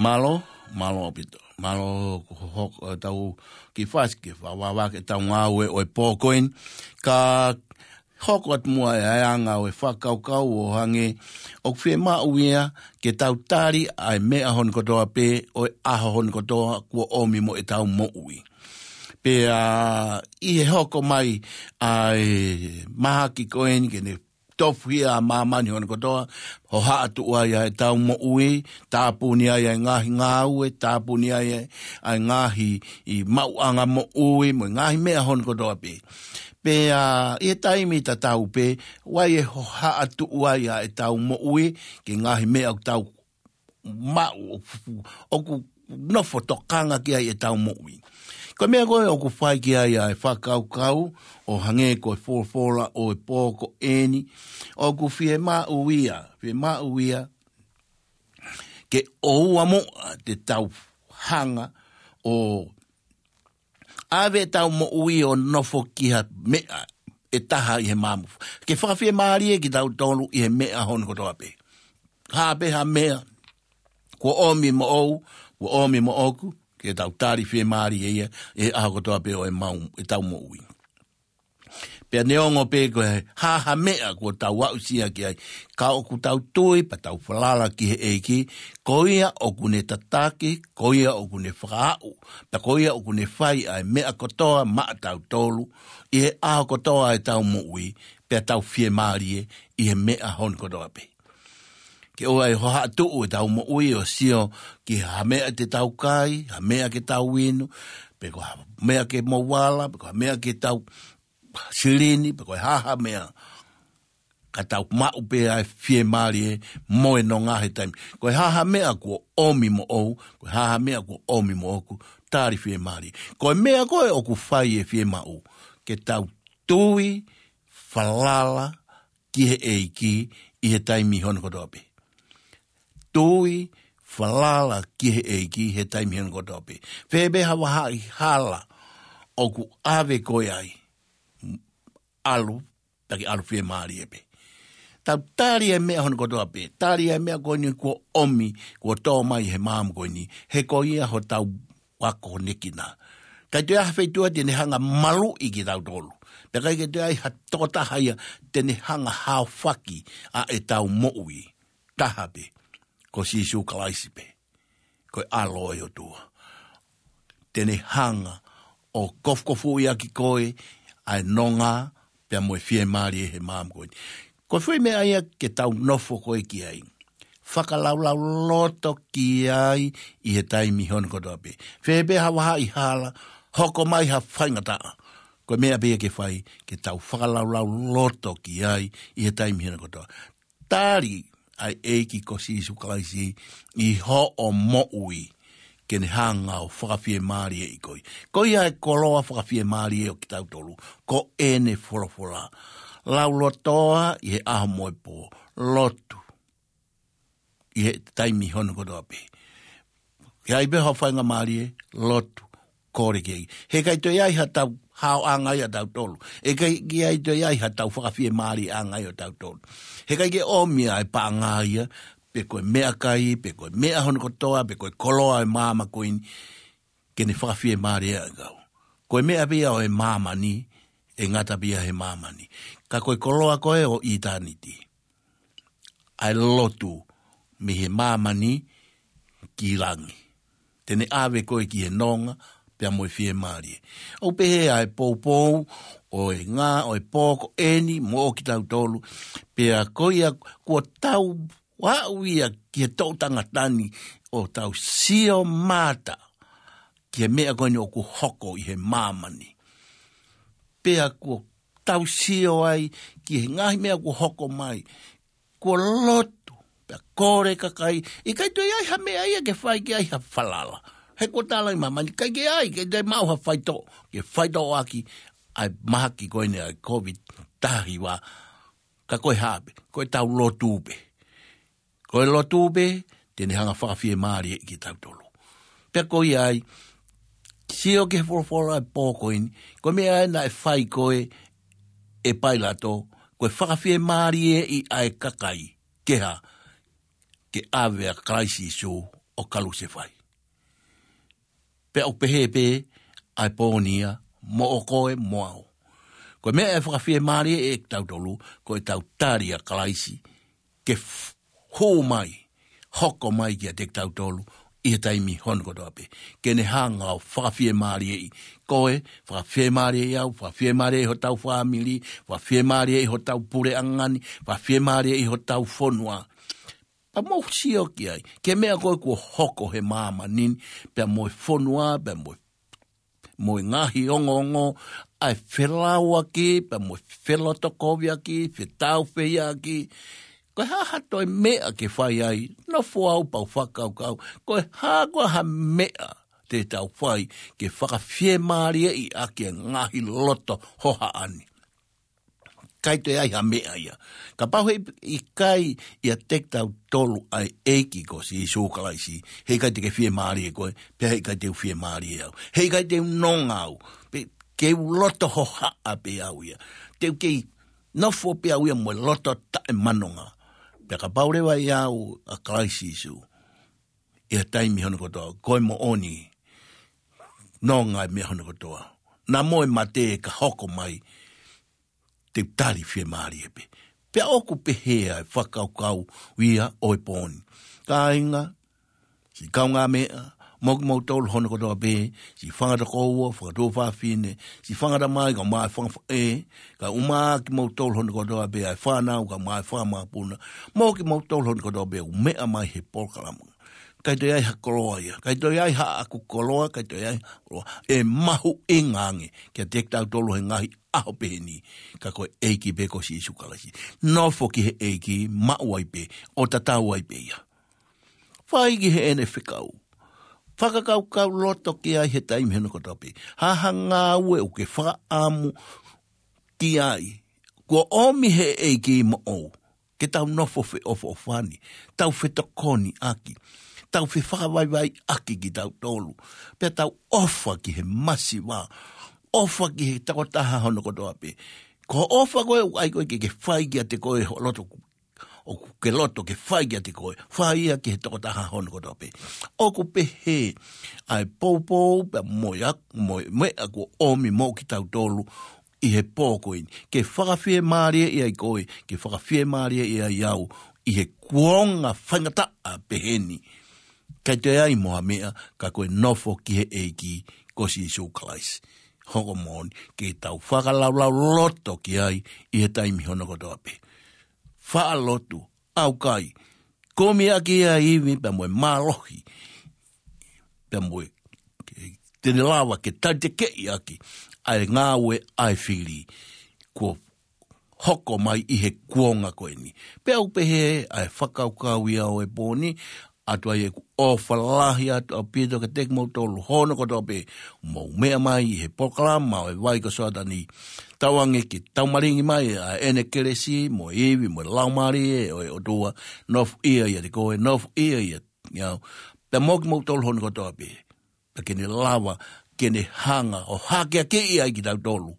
Mālō, mālō ʻaupito. Mālō ko hok-, ʻetau kiʻi fasi ke fa-, vavake ʻetau ngāue ʻo e pō ko eni. Ka hoko atu muʻa e anga ʻo e fakakaukau ʻo hangē ʻoku fiemaʻu ia ke tau tali ʻa e meʻa hono kotoa pē ʻo e ʻaho hono kotoa kuo ʻomi mo ʻetau moʻui. Pea ʻi he hoko mai ʻa e mahaki ko eni ke ne tofuhia ʻa māmani hono kotoa, hohaʻa tuʻu ai ʻa ʻetau moʻui, tāpuni ai ʻa e ngaahi ngāue, tāpuni ai ʻa e, ʻa e ngaahi ʻi maʻuʻanga moʻui, mo e ngaahi meʻa hono kotoa pē. Pea ʻi he taimi tatau pē, ʻoku ʻi ai e hohaʻa tuʻu ai ʻa ʻetau moʻui, ki he ngaahi meʻa ʻoku tau maʻu, ʻoku, ʻoku nofo tokanga ki ai ʻetau moʻui. Ko e meʻa ko ē ʻoku fai ki ai ʻa e fakakaukau ʻo hangē ko e folofola ʻo e pō ko eni, ʻoku fiemaʻu ia, fiemaʻu ia, ke ʻoua muʻa te tau hanga ʻo ʻave ʻetau moʻui ʻo nofo ki ha meʻa ʻe taha ʻi he maama. Ke fakafiemālie kitautolu ʻi he meʻa hono kotoa pē. Hā pē ha meʻa, kuo ʻomi moʻou, kuo ʻomi moʻoku, ke tau tali fiemālie ia, ʻi he ʻaho kotoa pē ʻo e mau, ʻetau moʻui. Pea neongo pē ko e hā ha meʻa kuo tau aʻusia ki ai, ka ʻoku tau tui pea tau falala ki he ʻEiki, ko ia ʻoku ne tataki, ko ia ʻoku ne fakaaʻu, pea ko ia ʻoku ne fai ʻa e meʻa kotoa maʻatautolu ʻi he ʻaho kotoa ʻetau moʻui, pea tau fiemālie ʻi he meʻa hono kotoa pē. Ke ʻoua ʻe hohaʻatuʻu ʻetau moʻui ʻo sio ki ha meʻa te tau kai, ha meʻa ke tau inu, pe ko ha meʻa ke mou ala, pe ko ha meʻa ke tau silini, pe ko e hā ha meʻa, ka tau maʻu pē ʻa e fiemālie mo e nonga he taimi. Ko e hā ha meʻa kuo ʻomi moʻou, ko e hā ha meʻa kuo ʻomi moʻoku, tali fiemālie. Ko e meʻa ko ē ʻoku fai e fiemaʻu, ke tau tui, falala ki he ʻEiki ʻi he taimi hono kotoa pē. Tui, falala ki he ʻEiki he taimi hono kotoa pē. Fēfē ha vahaʻa hala ʻoku ʻave koe ai, ʻalu, taki ʻalu fiemālie pē. Tau tali e meʻa hono kotoa pē. Tali e meʻa ko eni kuo ʻomi, kuo tō mai he maama ko eni. He ko ia hotau ako nekina. ʻIkai toe ʻi ai ha feituʻu te ne hanga maluʻi kitautolu. Pea ʻikai ke toe ʻi ai ha tokotaha ia te ne hanga haofaki ʻa ʻetau moʻui. Taha pē, ko Sīsū Kalaisi pē. Ko e ʻAlo ʻo e ʻOtua. Te ne hanga ʻo kofukofuʻi ʻaki koe ʻa e nonga pea mo e fiemālie he maama ko eni. Ko e foʻi meʻa ia ke tau nofo ko ē ki ai. Fakalaulauloto ki ai ʻi he taimi hono kotoa pē. Fēfē ha vahaʻa hala, hoko mai ha faingataʻa. Ko e meʻa pē ia ke fai, ke tau fakalaulauloto ki ai ʻi he taimi hono kotoa. Tali ʻa e ʻEiki ko Sīsū Kalaisi ʻi hoʻo moʻui, ke ne hanga ʻo fakafiemālieʻi koe. Ko ia e koloa fakafiemālie ʻo kitautolu, ko ʻene folofola. Laulotoa ʻi he ʻaho mo e pō, lotu ʻi he taimi hono kotoa pē. ʻI ai pē ha faingamālie, lotu, kole ki ai. He ʻikai toe ʻi ai ha tau haoʻanga ia ʻatautolu. He ʻikai ke ʻi ai toe ʻi ai ha tau fakafiemālieʻanga ia ʻatautolu. He ʻikai ke ʻomi ʻa e paʻanga ia, pe ko e meʻakai, pe ko e meʻa hono kotoa, pe ko e koloa ʻo e maama ko eni, ke ne fakafiemālieʻi kau. Ko e meʻa pē ia ʻo e māmani, ʻe ngata pē ia he māmani. Ka ko e koloa ko ē ʻo ʻitāniti, ʻa e lotu mei he māmani ki langi. Te ne ʻave koe ki he nonga, pea mo e fiemālie. ʻOku pehē ʻa e poupou ʻo e ngaahi, ʻo e pō ko eni moʻo kitautolu, pea ko ia kuo tau aʻu ia ki he toʻu tangata ni ʻo tau sio mata ki he meʻa ko eni ʻoku hoko ʻi he māmani. Pea kuo tau sio ai ki he ngaahi meʻa kuo hoko mai. Kuo lotu, pea kole kakai, ʻikai toe ʻi ai ha meʻa ia ke fai ki ai ha falala. He kuo tala ʻi māmani, ʻikai ke ʻi ai, ʻikai toe maʻu ha faitoʻo, ke faitoʻo ʻaki ʻa e mahaki ko eni ʻa e Covid taha hiva. Ka ko e hā pē, ko e tau lotu pē. Ko e lotu pē, te ne hanga fakafiemālieʻi kitautolu. Pea ko ia ai, sio ki he folofola ʻa e pō ko eni, ko e meʻa ē naʻe fai ko ē ʻe Pailato, ko e fakafiemālieʻi ʻa e kakai, ke hā, ke ʻave ʻa Kalaisi Sīsū ʻo kalusefai. Pea ʻoku pehē pē ʻa e pō ni ia, moʻo koe mo au. Ko e meʻa ʻe fakafiemālieʻi ʻe kitautolu, ko e tau tali ʻa Kalaisi, ke f-, hū mai, hoko mai kiate kitautolu, ʻi he taimi hono kotoa pē. Ke ne hanga ʻo fakafiemālieʻi koe, fakafiemālieʻi au, fakafiemālieʻi hotau fāmili, fakafiemālieʻi hotau puleʻanga ni, fakafiemālieʻi hotau fonua. Pea mou sio ki ai, ki he meʻa ko ē kuo hoko he māmani ni, pea mo e fonua, pea mo e, mo e ngaahi ongoongo, ʻa e felauʻaki, pea mo e felotokoviʻaki, fetaufehiʻaki. Ko e hā ha toe meʻa ke fai ai, nofo au pea u fakakaukau. Ko e hā ko ha meʻa te tau fai, ke fakafiemālieʻi ʻaki e ngaahi loto hohaʻa ni. ʻIkai toe ʻi ai ha meʻa ia. Kapau he ʻikai ʻiate kitautolu ʻa e ʻEiki ko Sīsū Kalaisi, he ʻikai te ke fiemālie koe, pea he ʻikai te u fiemālie au. He ʻikai te u nonga au, pe ke u loto hohaʻa pē au ia. Te u kei nofo pē au ia mo e loto taʻemanonga. Pea kapau leva ʻe au ʻa Kalaisi Sīsū, ʻi he taimi hono kotoa, ko e moʻoni, nonga e meʻa hono kotoa. Naʻa mo e mate ka hoko mai, te u tali fiemālie pē. Pea ʻoku pehē ʻa e fakakaukau ia ʻo e pō ni. Kāinga, siʻi kaungāmeʻa, mo kimoutolu hono kotoa pē, siʻi fanga tokoua, fanga tuofāfine, siʻi fanga tamai, kae ʻumaʻā e fanga faʻē, kae ʻumaʻā kimoutolu hono kotoa pē, ʻa e fānau, kae ʻumaʻā e fanga mokopuna, mo kimoutolu hono kotoa pē, ʻoku meʻa mai he polokalama. ʻIkai toe ʻi ai ha koloa ia, ʻikai toe ʻi ai haʻaku koloa, ʻikai toe ʻi ai ha koloa. ʻE mahuʻinga ange kiate kitautolu he ngaahi ʻaho pehē ni, ka ko e ʻEiki pē ko Sīsū Kalaisi. Nofo ki he ʻEiki, maʻu ai pē, ʻo tatau ai pē ia. Fai ki heʻene fekau. Fakakaukau loto ki ai he taimi hono kotoa pē. Ha ha ngāue ʻoku ke fakaʻamu ki ai. Kuo ʻomi he ʻEiki moʻou ke tau nofo feʻofoʻofani, tau fetokoniʻaki, tau fefakavaivaiʻaki kitautolu, pea tau ʻofa ki he masiva, ʻofa ki he tokotaha hono kotoa pē. Ko e ʻofa ko ē ʻoku ʻai ko ē ke ke fai kiate koe ho loto, ʻoku ke loto ke fai kiate koe, fai ia ki he tokotaha hono kotoa pē. ʻOku pehē ʻa e poupou pea mo e ak-, mo e meʻa kuo ʻomi mo kitautolu ʻi he pō ko eni. Ke fakafiemālieʻi ai koe, ke fakafiemālieʻi ai au, ʻi he kuonga faingataʻa pehē ni. ʻIkai toe ʻi ai mo ha meʻa, ka ko e nofo ki he ʻEiki ko Sīsū Kalaisi. Hoko moʻoni, ke tau fakalaulauloto ki ai, ʻi he taimi hono kotoa pē. Faʻa lotu, ʻaukai, kumi ʻaki ʻa e ivi pea mo e mālohi, pea mo e, te ne lava ke talitekeʻi ʻaki ʻa e ngāue ʻa e fili kuo hoko mai ʻi he kuonga ko eni. Pea ʻoku pehē ʻa e fakakaukau ia ʻo e pō ni, ʻoatu ai ʻeku ʻofa lahi atu ʻaupito kiate kimoutolu hono kotoa pē, mou meʻa mai ʻi he polokalama ʻo e Vai ko Soatani. Tauange ke tau malingi mai ʻa ʻene kelesi, mo e ivi, mo e Laumālie ʻo e ʻOtua, nofoʻia ʻiate koe, nofoʻia ʻiate au. Pea mo kimoutolu hono kotoa pē, pea ke ne lava, ke ne hanga ʻo hākeakiʻi ai kitautolu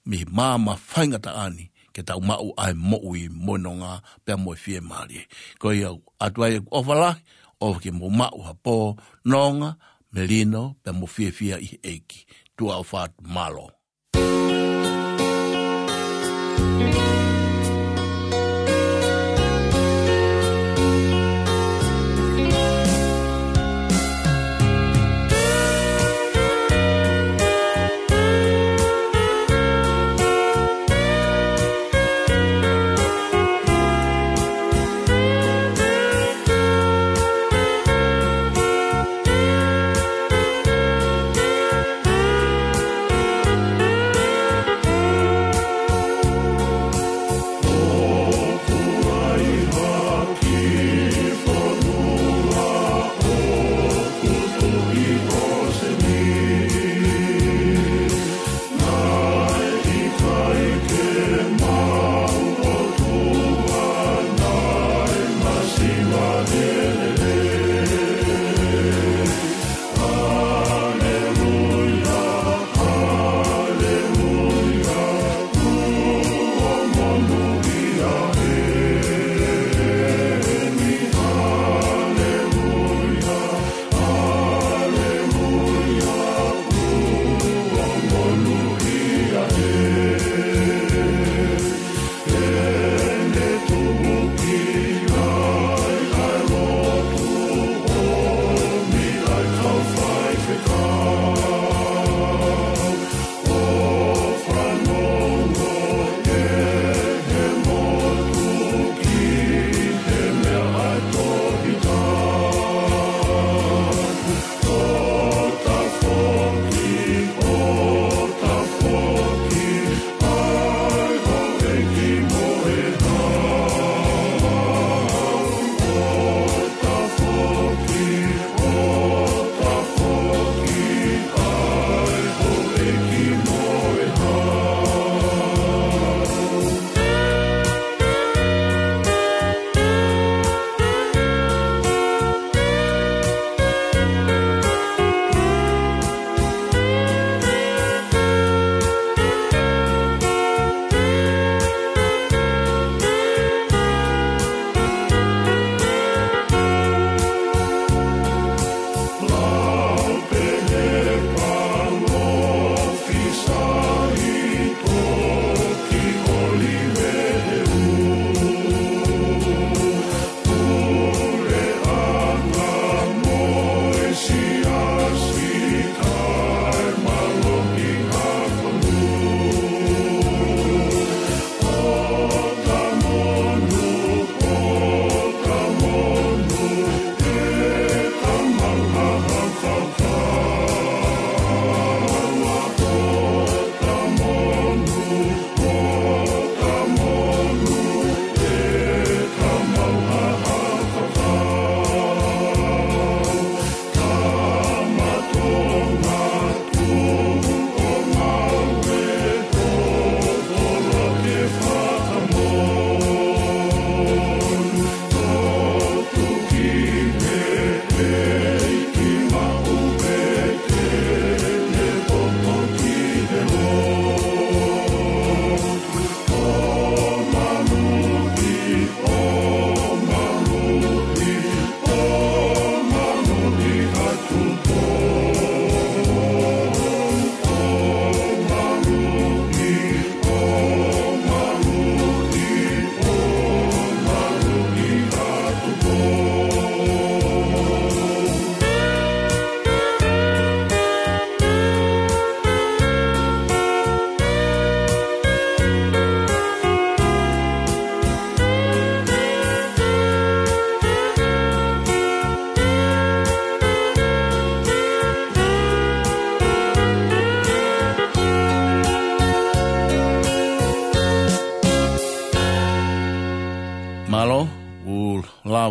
mei he maama faingataʻa ni, ke tau maʻu ʻa e moʻui mo e nonga pea mo e fiemālie. Ko ia ʻoku ʻoatu ai ʻeku ʻofa lahi, ʻofa ke mou maʻu ha pō nonga, melino, pea mo fiefia ʻi he ʻEiki. Tuʻa ʻofa atu, mālō.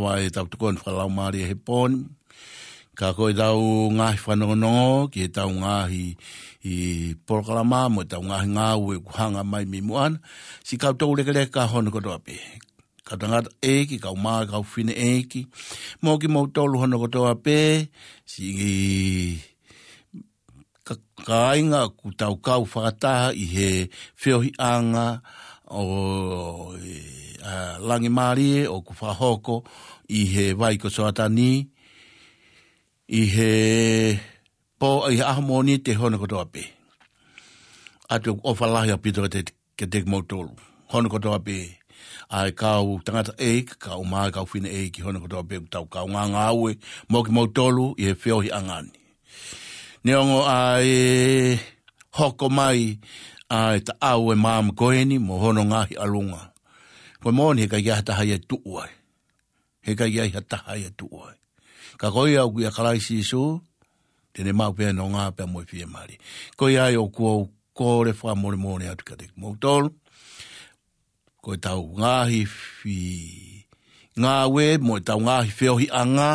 ʻa e tau tokoni fakalaumālie he pō ni. Ka ko e tau ngaahi fanongonongo, ki he tau ngaahi ʻi polokalama, mo e tau ngaahi ngāue ʻoku hanga mai mei muʻa na. Siʻi kau toulekeleka hono kotoa pē. Kau tangataʻeiki, kau mā, kau fineʻeiki. Mo kimoutolu hono kotoa pē, siʻi ka-, kāinga ʻoku tau kau fakataha ʻi he feohiʻanga ʻo, ʻa, Langimālie ʻoku fakahoko ʻi he vai ko Soatani, ʻi he pō, ʻi he ʻaho Mōnite hono kotoa pē. ʻOatu ʻoku ʻofa lahi ʻaupito kiate, kiate kimoutolu hono kotoa pē. ʻA e kau tangataʻeiki, kau mā, kau fineʻeiki hono kotoa pē, ʻoku tau kau ngāngāue mo kimoutolu ʻi he feohiʻanga ni. Neongo ʻa e hoko mai ʻa e taʻau ʻe māmani ko eni mo hono ngaahi ʻalunga. Ko e moʻoni he ʻikai ke ʻi ai ha taha ia ʻe tuʻu ai. He ʻikai ke ʻi ai ha taha ia ʻe tuʻu ai. Ka ko ia ʻoku ʻia Kalaisi Sīsū, te ne maʻu pē ʻa e nonga pea mo e fiemālie. Ko ia ai ʻoku ou kole fakamolemole atu kiate kimoutolu. Ko e tau ngaahi fi-, ngāue mo e tau ngaahi feohiʻanga,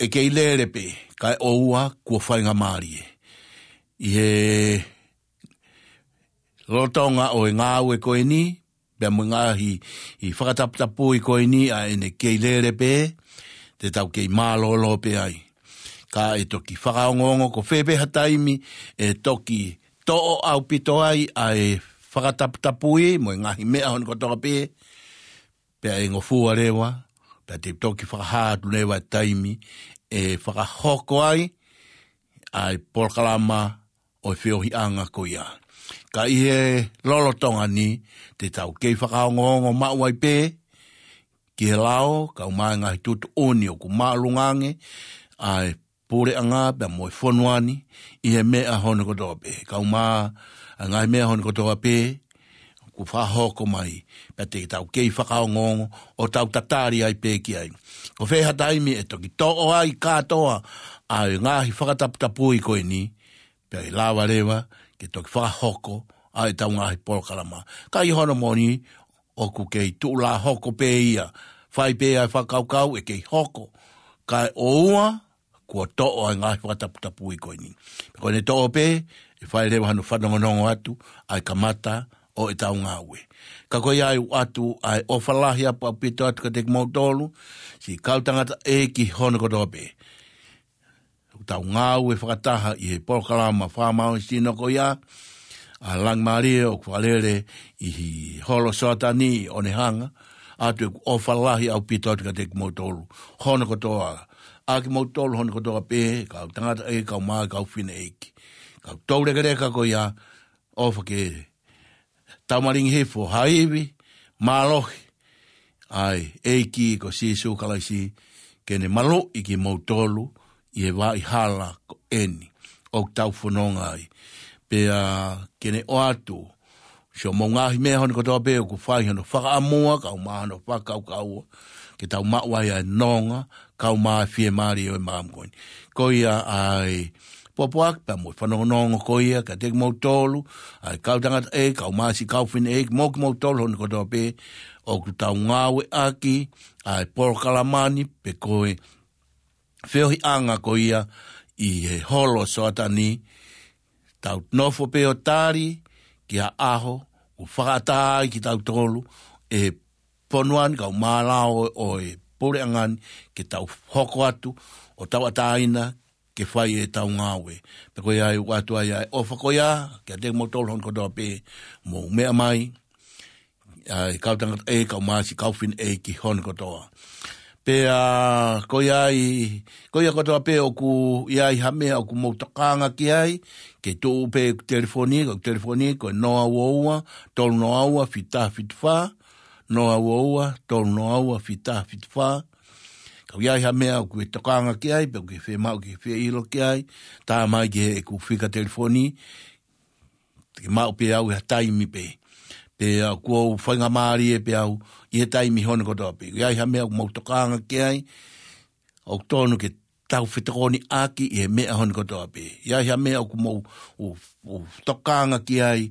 ʻe kei lele pē, kae ʻoua kuo faingamālie. ʻI he lolotonga ʻo e ngāue ko eni, pea mo e ngaahi ʻi fakataputapui ko eni ʻa ʻene kei lele pē, te tau kei mālōlō pē ai. Ka ʻe toki fakaongoongo ko fē pē ha taimi, ʻe toki toʻo ʻaupito ai ʻa e fakataputapui, mo e ngaahi meʻa hono kotoa pē, pea ʻe ngofua leva, pea te toki fakahā atu leva e taimi, ʻe fakahoko ai, ʻa e polokalama ʻo e feohiʻanga ko ia. Ka ʻi he lolotonga ni, te tau kei fakaongoongo maʻu ai pē, ki he lao, kau mā e ngaahi tuʻutuʻuni ʻoku māʻolunga ange, ʻa e puleʻanga pea mo e fonua ni, ʻi he meʻa hono kotoa pē. Kau mā, ʻa e ngaahi meʻa hono kotoa pē, ʻoku fakahoko mai, pea te tau kei fakaongoongo, ʻo tau tatali ai pē ki ai. Ko fē ha taimi ʻe toki toʻo ai kātoa, ʻa e ngaahi fakataputapui ko eni, pea ʻe lava leva, ke toki fakahoko, ʻa e tau ngaahi polokalama. Ka ʻi hono moʻoni, ʻoku kei tuʻulā hoko pē ia, fai pē ʻa e fakakaukau ʻe kei hoko. Kae ʻoua, kuo toʻo ʻa e ngaahi fakataputapui ko eni. Ko ʻene toʻo pē, ʻe fai leva hano fanongonongo atu, ʻa e kamata ʻo e tau ngāue. Ka ko ia ai ʻoatu, ʻa e ʻofa lahi ʻaupito atu kiate kimoutolu, siʻi kau tangataʻeiki hono kotoa pē. ʻOku tau ngāue fakataha ʻi he polokalama fakamālohisino ko ia, ʻa Langimālie ʻoku fakalele ʻi he holo Soatani ʻi ʻOnehanga, ʻoatu ʻeku ʻofa lahi ʻaupito atu kiate kimoutolu hono kotoa, ʻa kimoutolu hono kotoa pē, kau tangataʻeiki, kau mā, kau fineʻeiki. Kau toulekeleka ko ia, ʻofa ke tau malingi hifo, ha ivi, mālohi, ʻa e ʻEiki ko Sīsū Kalaisi, ke ne maluʻi kimoutolu, ʻi he vaʻa hala ko eni, ʻoku tau fononga ai. Pea ke ne ʻoatu, siʻomou ngaahi meʻa hono kotoa pē, ʻoku fai hono fakaʻamua, kau mā hono fakakaukau, ke tau maʻu ai ʻa e nonga, kau mā e fiemālie ʻo e māmani ko eni. Ko ia ʻa e pōpoaki pea mo e fanongonongo ko ia, kiate kimoutolu, ʻa e kau tangataʻeiki, kau mā siʻi kau fineʻeiki, mo kimoutolu hono kotoa pē, ʻoku tau ngāueʻaki, ʻa e polokalama ni, pe ko e feohiʻanga ko ia, ʻi he holo Soatani, tau nofo pē ʻo tali, ki ha ʻaho, ʻoku fakaʻatā ai kitautolu, ʻe fonua ni kau mā lao ʻo e puleʻanga ni ke tau hoko atu ʻo tauʻatāina ke fai e tau ngāue. Pea ko ia ai ʻoatu ai ʻa e ʻofa ko ia, kiate kimoutolu hono kotoa pē mou meʻa mai, ʻa e kau tangataʻeiki, kau mā siʻi kau fineʻeiki hono kotoa. Pea ko ia ai, ko ia kotoa pē ʻoku ʻi ai ha meʻa ʻoku mou tokanga ki ai, ke tuʻu pē ʻeku telefoni, ko ʻeku telefoni, ko e noa ua ua, tolu noa ua, fita fitu fā, noa ua ua, tolu noa ua, fita fitu fā. Ka ʻi ai ha meʻa ʻoku ke tokanga ki ai, pe ʻoku ke fiemaʻu ke fie ʻilo ki ai, tā mai ki heʻeku fika telefoni, ke maʻu pē au ʻi ha taimi pē. Pea ʻoku ou faingamālie pē au, ʻi he taimi hono kotoa pē. ʻI ai ha meʻa ʻoku mou tokanga ki ai, ʻoku tonu ke tau fetokoniʻaki ʻi he meʻa hono kotoa pē. ʻI ai ha meʻa ʻoku mou, ʻo, ʻo tokanga ki ai,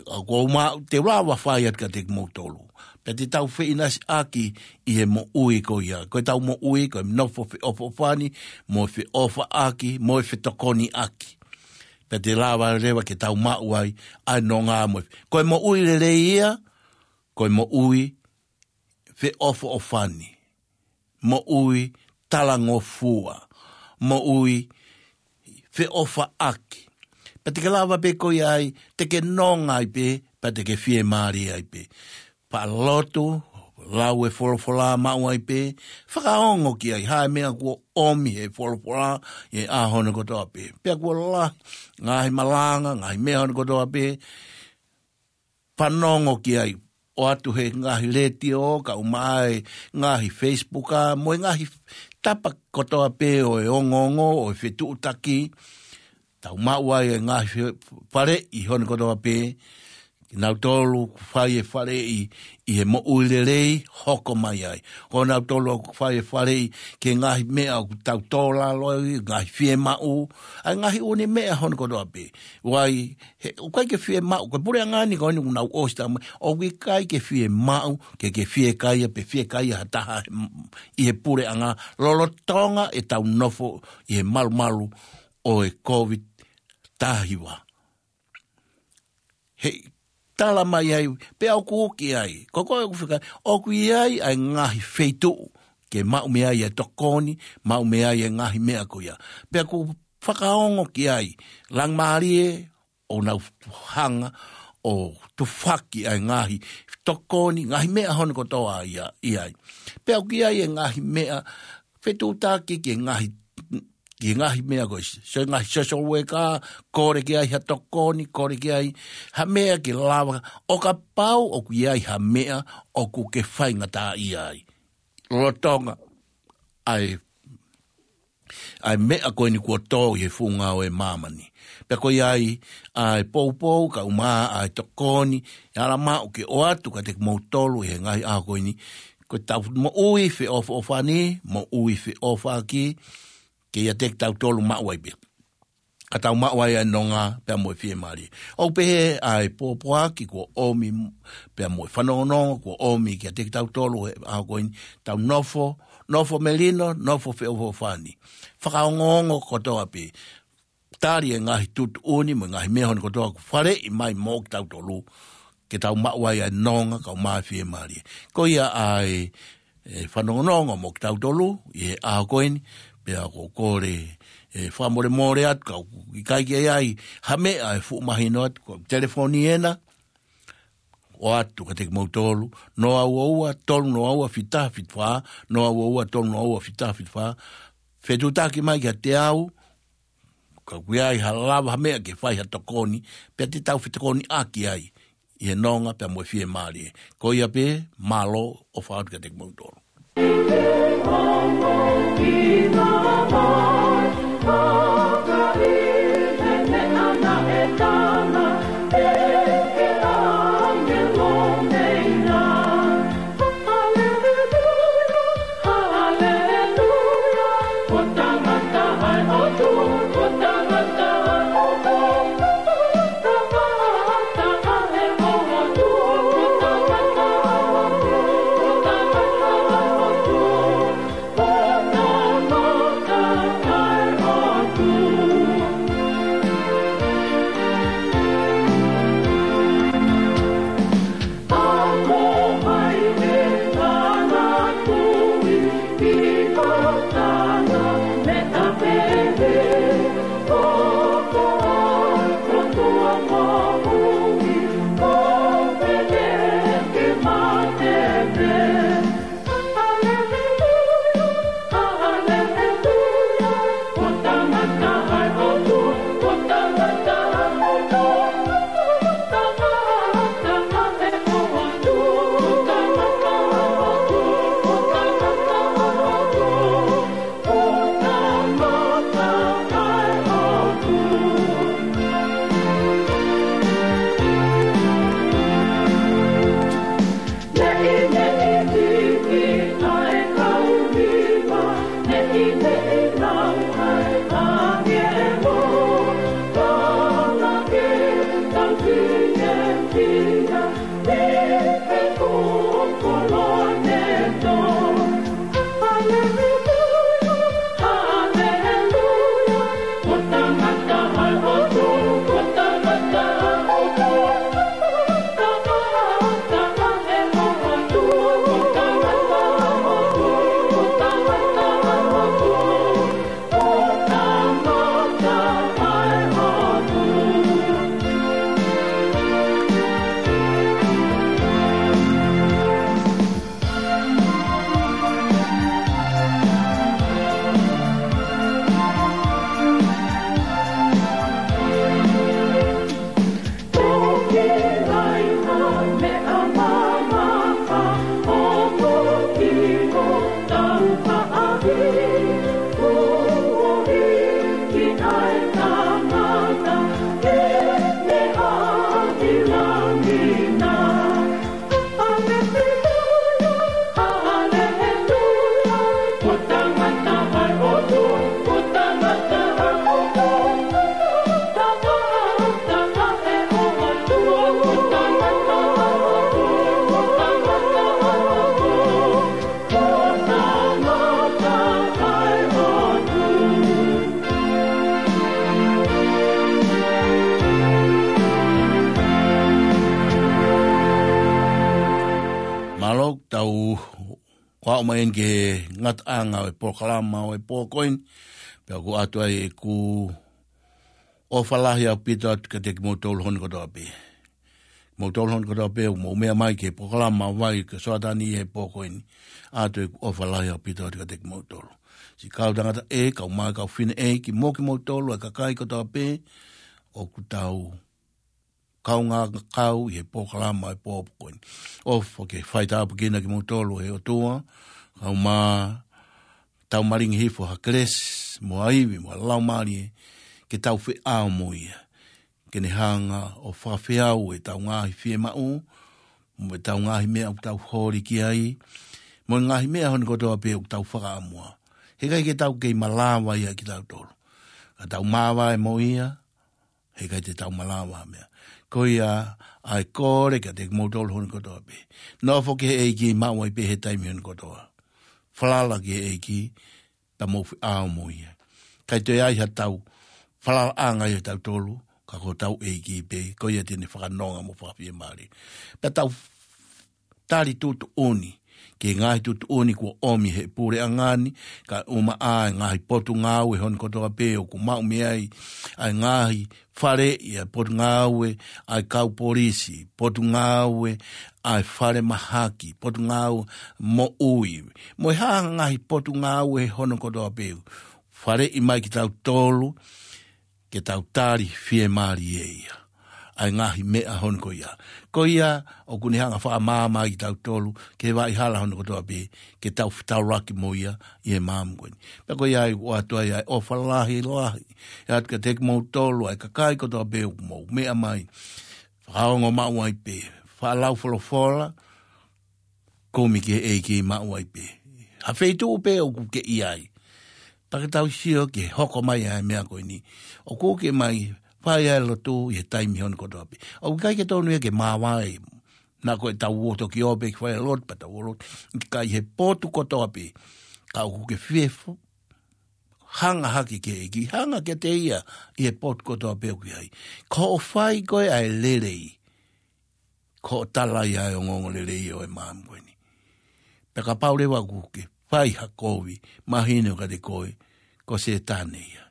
ʻoku ou maʻu, te u lava fai atu kiate kimoutolu. Pea te tau feʻinasiʻaki ʻi he moʻui ko ia. Ko ʻetau moʻui, ko e nofo feʻofoʻofani, mo e feʻofaʻaki, mo e fetokoniʻaki. Pea te lava leva ke tau maʻu ai ʻa e nonga mo e. Ko e moʻui lelei ia, ko e moʻui feʻofoʻofani, moʻui talangofua, moʻui feʻofaʻaki. Pea te ke lava pē ko ia ai, te ke nonga ai pē, pea te ke fiemālie ai pē. Faʻa lotu, lau e folofola maʻu ai pē, fakaongo ki ai, ha meʻa kuo ʻomi he folofola, ʻi he ʻaho ni kotoa pē. Pea kuo lahi, ngaahi malanga, ngaahi meʻa ʻaho ni kotoa pē, fanongo ki ai, ʻoatu he ngaahi letiō, kae ʻumaʻā e ngaahi Facebook, mo e ngaahi tapa kotoa pē ʻo e ongoongo, ʻo e fetuʻutaki, tau maʻu ai e ngaahi fe-, faleʻi ʻaho ni kotoa pē, kinautolu ʻoku fai e faleʻi ʻi he moʻui lelei, hoko mai ai. Ko kinautolu ʻoku fai e faleʻi ki he ngaahi meʻa ʻoku tau tō lalo ai, ngaahi fiemaʻu, ʻa e ngaahi ʻū meʻa ʻaho ni kotoa pē. Vai, he, ʻoku ʻikai ke fiemaʻu, ko e puleʻanga ni ko eni ʻoku nau ʻosi tau mai, ʻoku ʻikai ke fiemaʻu, ke ke fiekaia, pe fiekaia ha taha he, ʻi he puleʻanga, lolotonga ʻetau nofo ʻi he malumalu ʻo e COVID taha hiva. He tala mai ai, pea ʻoku ʻi ai, ko koe ʻoku fika, ʻoku ʻi ai ʻa e ngaahi feituʻu, ke maʻu mei ai e tokoni, maʻu mei ai e ngaahi meʻa ko ia. Pea ʻoku fakaongo ki ai, Langimālie, ʻo nau hanga ʻo tufaki ʻa e ngaahi tokoni, ngaahi meʻa ʻaho ni kotoa ia, ʻi ai. Pea ʻoku ʻi ai e ngaahi meʻa fetuʻutaki ki he ngaahi, ki he ngaahi meʻa ko ē. So e ngaahi social worker, kole ki ai ha tokoni, kole ki ai ha meʻa ke lava. ʻO kapau ʻoku ʻi ai ha meʻa ʻoku ke faingataʻaʻia ai. Lolotonga ʻa e ʻa e meʻa ko eni kuo tō ʻi he funga ʻo e māmani. Pea ko ia ai ʻa e poupou, kae ʻumaʻā ʻa e tokoni, ʻe ala maʻu ke ʻoatu kiate kimoutolu ʻi he ngaahi ʻaho ko eni. Ko ʻetau moʻui feʻofoʻofani, moʻui feʻofaʻaki, ke ʻiate kitautolu maʻu ai pē. Ka tau maʻu ai ʻa e nonga pea mo e fiemālie. ʻOku pehē ʻa e pōpoaki kuo ʻomi pea mo e fanongonongo kuo ʻomi kiate kitautolu he ʻaho ko eni, tau nofo, nofo melino, nofo feʻofoʻofani. Fakaongoongo kotoa pē. Tali e ngaahi tuʻutuʻuni mo e ngaahi meʻa ʻaho ni kotoa kuo faleʻi mai mo kitautolu, ke tau maʻu ai ʻa e nonga kae ʻumaʻā e fiemālie. Ko ia ʻa e, e fanongonongo mo kitautolu ʻi he ʻaho ko eni, pea ʻoku ou kole e fakamolemole atu, ka ʻoku ʻikai ke ʻi ai ha meʻa ʻe fuʻu mahino atu, ko e telefoni ena, ʻoatu kiate kimoutolu, noa ua ua, tolu noa ua, fita fita fā, noa ua ua, tolu noa ua, fita fita fā, fetuʻutaki mai kiate au, ka ʻoku ʻi ai ha lava ha meʻa ke fai ha tokoni, pea te tau fetokoniʻaki ai ʻi he nonga pea mo e fiemālie. Ko ia pē, mālō ʻofa atu kiate kimoutolu. ʻo aʻu mai eni ki he ngataʻanga ʻo e polokalama ʻo e pō ko eni, pea ʻoku ʻoatu ai ʻeku ʻofa lahi ʻaupito atu kiate kimoutolu hono kotoa pē. Kimoutolu hono kotoa pē ʻoku mou meʻa mai ki he polokalama ʻo Vai ko Soatani he pō ko eni, ʻoatu ʻeku ʻofa lahi ʻaupito atu kiate kimoutolu. Siʻi kau tangata ē, kau mai kau fineʻeiki mo kimoutolu ʻa e kakai kotoa pē ʻoku tau kaungā kau ʻi he polokalama ʻo e pō ko eni. ʻOfa ke fai tāpuekina kimoutolu ʻe he ʻOtua, kae ʻumaʻā tau malingi hifo ha kelesi, mo ha ivi, mo ha laumālie, ke tau feʻao mo ia. Ke ne hanga ʻo fakafeau ʻetau ngaahi fiemaʻu, mo ʻetau ngaahi meʻa ʻoku tau holi ki ai, mo e ngaahi meʻa hono kotoa pē ʻoku tau fakaʻamua. He ʻikai ke tau kei malava ia kitautolu. Ka tau māvae mo ia, he ʻikai te tau malava ha meʻa. Ko ia ʻa e kole kiate kimoutolu hono kotoa pē. Nofo ki he ʻEiki maʻu ai pē he taimi hono kotoa. Falala ki he ʻEiki, pea mou feʻao mo ia. ʻIkai toe ʻi ai haʻatau falalaʻanga ʻia tautolu, ka ko hotau ʻEiki pē, ko ia te ne fakanonga mo fakafiemālie. Pea tau tali tuʻutuʻuni, ki he ngaahi tuʻutuʻuni kuo ʻomi ʻe he puleʻanga ni, kae ʻumaʻā e ngaahi potungāue hono kotoa pē ʻoku maʻu mei ai ʻa e ngaahi faleʻi, ʻa e potungāue ʻa e kau polisi, potungāue ʻa e falemahaki, potungāue moʻui, mo e hā ha ngaahi potungāue hono kotoa pē ʻoku faleʻi mai kitautolu, ke tau tali fiemālie ia ʻa e ngaahi meʻa hono ko ia. Ko ia ʻoku ne hanga ʻo fakamaama ai kitautolu ki he vaʻa hala hono kotoa pē, ke tau fetaulaki mo ia ʻi he māmani ko eni. Pea ko ia ai ʻoku ʻoatu ai ʻa e ʻofa lahi lahi atu kiate kimoutolu ʻa e kakai kotoa pē ʻoku mou meʻa mai, fakaongo maʻu ai pē, faʻa lau folofola, kumi ki he ʻEiki maʻu ai pē. Ha feituʻu pē ʻoku ke ʻi ai, pea ke tau sio ki he hoko mai ʻa e meʻa ko eni. ʻOku ke mai fai ʻa e lotu ʻi he taimi hono kotoa pē. ʻOku ʻikai ke tonu ia ke māvae, naʻa ko ʻetau ō toki ō pē ke fai ʻa e lotu, pea tau ō lotu. ʻIkai, he potu kotoa pē, ka ʻoku ke fie fo-, hanga hake ki he ʻEiki, hanga kiate ia ʻi he potu kotoa pē ʻoku ke ʻi ai. Ko hoʻo fai ko ē ʻa e lelei, ko hoʻo tala ia ʻa e ongoongolelei ʻo e māmani ko eni. Pea kapau leva ʻoku ke fai ha kovi mahino kiate koe, ko Sētane ia.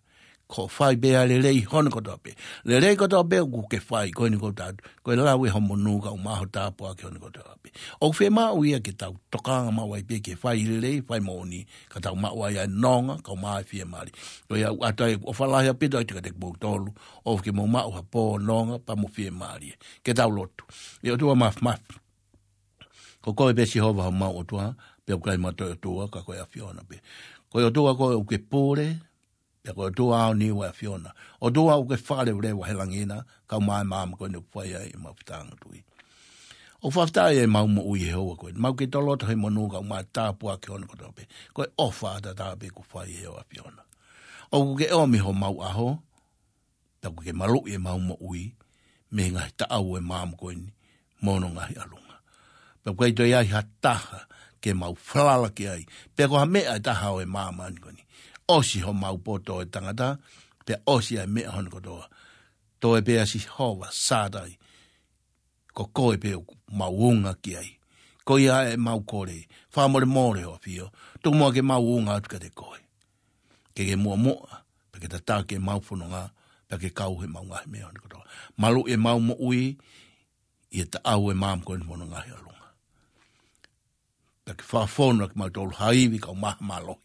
Ko hoʻo fai pē ʻa e lelei hono kotoa pē. Lelei kotoa pē ʻoku ke fai, ko eni ʻoku ou tala atu, ko e lau ʻe hoʻo monū kae ʻumaʻā ho tāpuaki hono kotoa pē. ʻOku fiemaʻu ia ke tau tokanga maʻu ai pē ke fai lelei, fai moʻoni, ka tau maʻu ai ʻa e nonga, kae ʻumaʻā e fiemālie. Ko ia ʻoku ʻoatu ai ʻeku ʻofa lahi ʻaupito atu kiate kimoutolu, ʻofa ke mou maʻu ha pō nonga pea mo fiemālie. Ke tau lotu. ʻE ʻOtua Māfimafi, ko koe pē Sihova homau ʻOtua, pea ʻoku ʻikai ha toe ʻOtua, ka ko e ʻAfiona pē. Ko e ʻOtua koe ʻoku ke pule, pea ko e ʻOtua ʻaoniu ʻa e ʻAfiona. ʻOtua ʻoku ke fakaleveleva he langi na, kae ʻumaʻā e māmani ko eni ʻoku fai ai ʻemau fetāngatui. ʻOku fakafetaʻi ʻemau moʻui he houa ko eni. Mau kei toloto he monū kae ʻumaʻā e tāpuaki hono kotoa pē. Ko e ʻofa ʻataʻatā pē kuo fai ʻe ho ʻAfiona. ʻOku ke ʻomi homau ʻaho, pea ʻoku ke maluʻi ʻemau moʻui mei he ngaahi taʻau ʻo e māmani ko eni mo hono ngaahi ʻalunga. Pea ʻoku ʻikai toe ʻi ai ha taha ke mau falala ki ai, pe ko ha meʻa ʻe taha ʻo e māmani ko eni. ʻOsi homau poto ʻo e tangata, pea ʻosi ʻa e meʻa hono kotoa. Toe pē ʻa Sihova Sātai, ko koe pē ʻoku mau unga ki ai. Ko ia ʻemau kole, fakamolemole ho ʻAfio, tuku muʻa ke mau unga atu kiate koe. Ke ke muʻomuʻa, pea ke tataki ʻemau fononga, pea ke kau heʻemau ngaahi meʻa hono kotoa. Maluʻi ʻemau moʻui ʻi he taʻau ʻo e māmani ko eni mo hono ngaahi ʻalunga. Pea ke fakafonu ʻaki kimautolu ha ivi kae ʻumaʻā ha mālohi,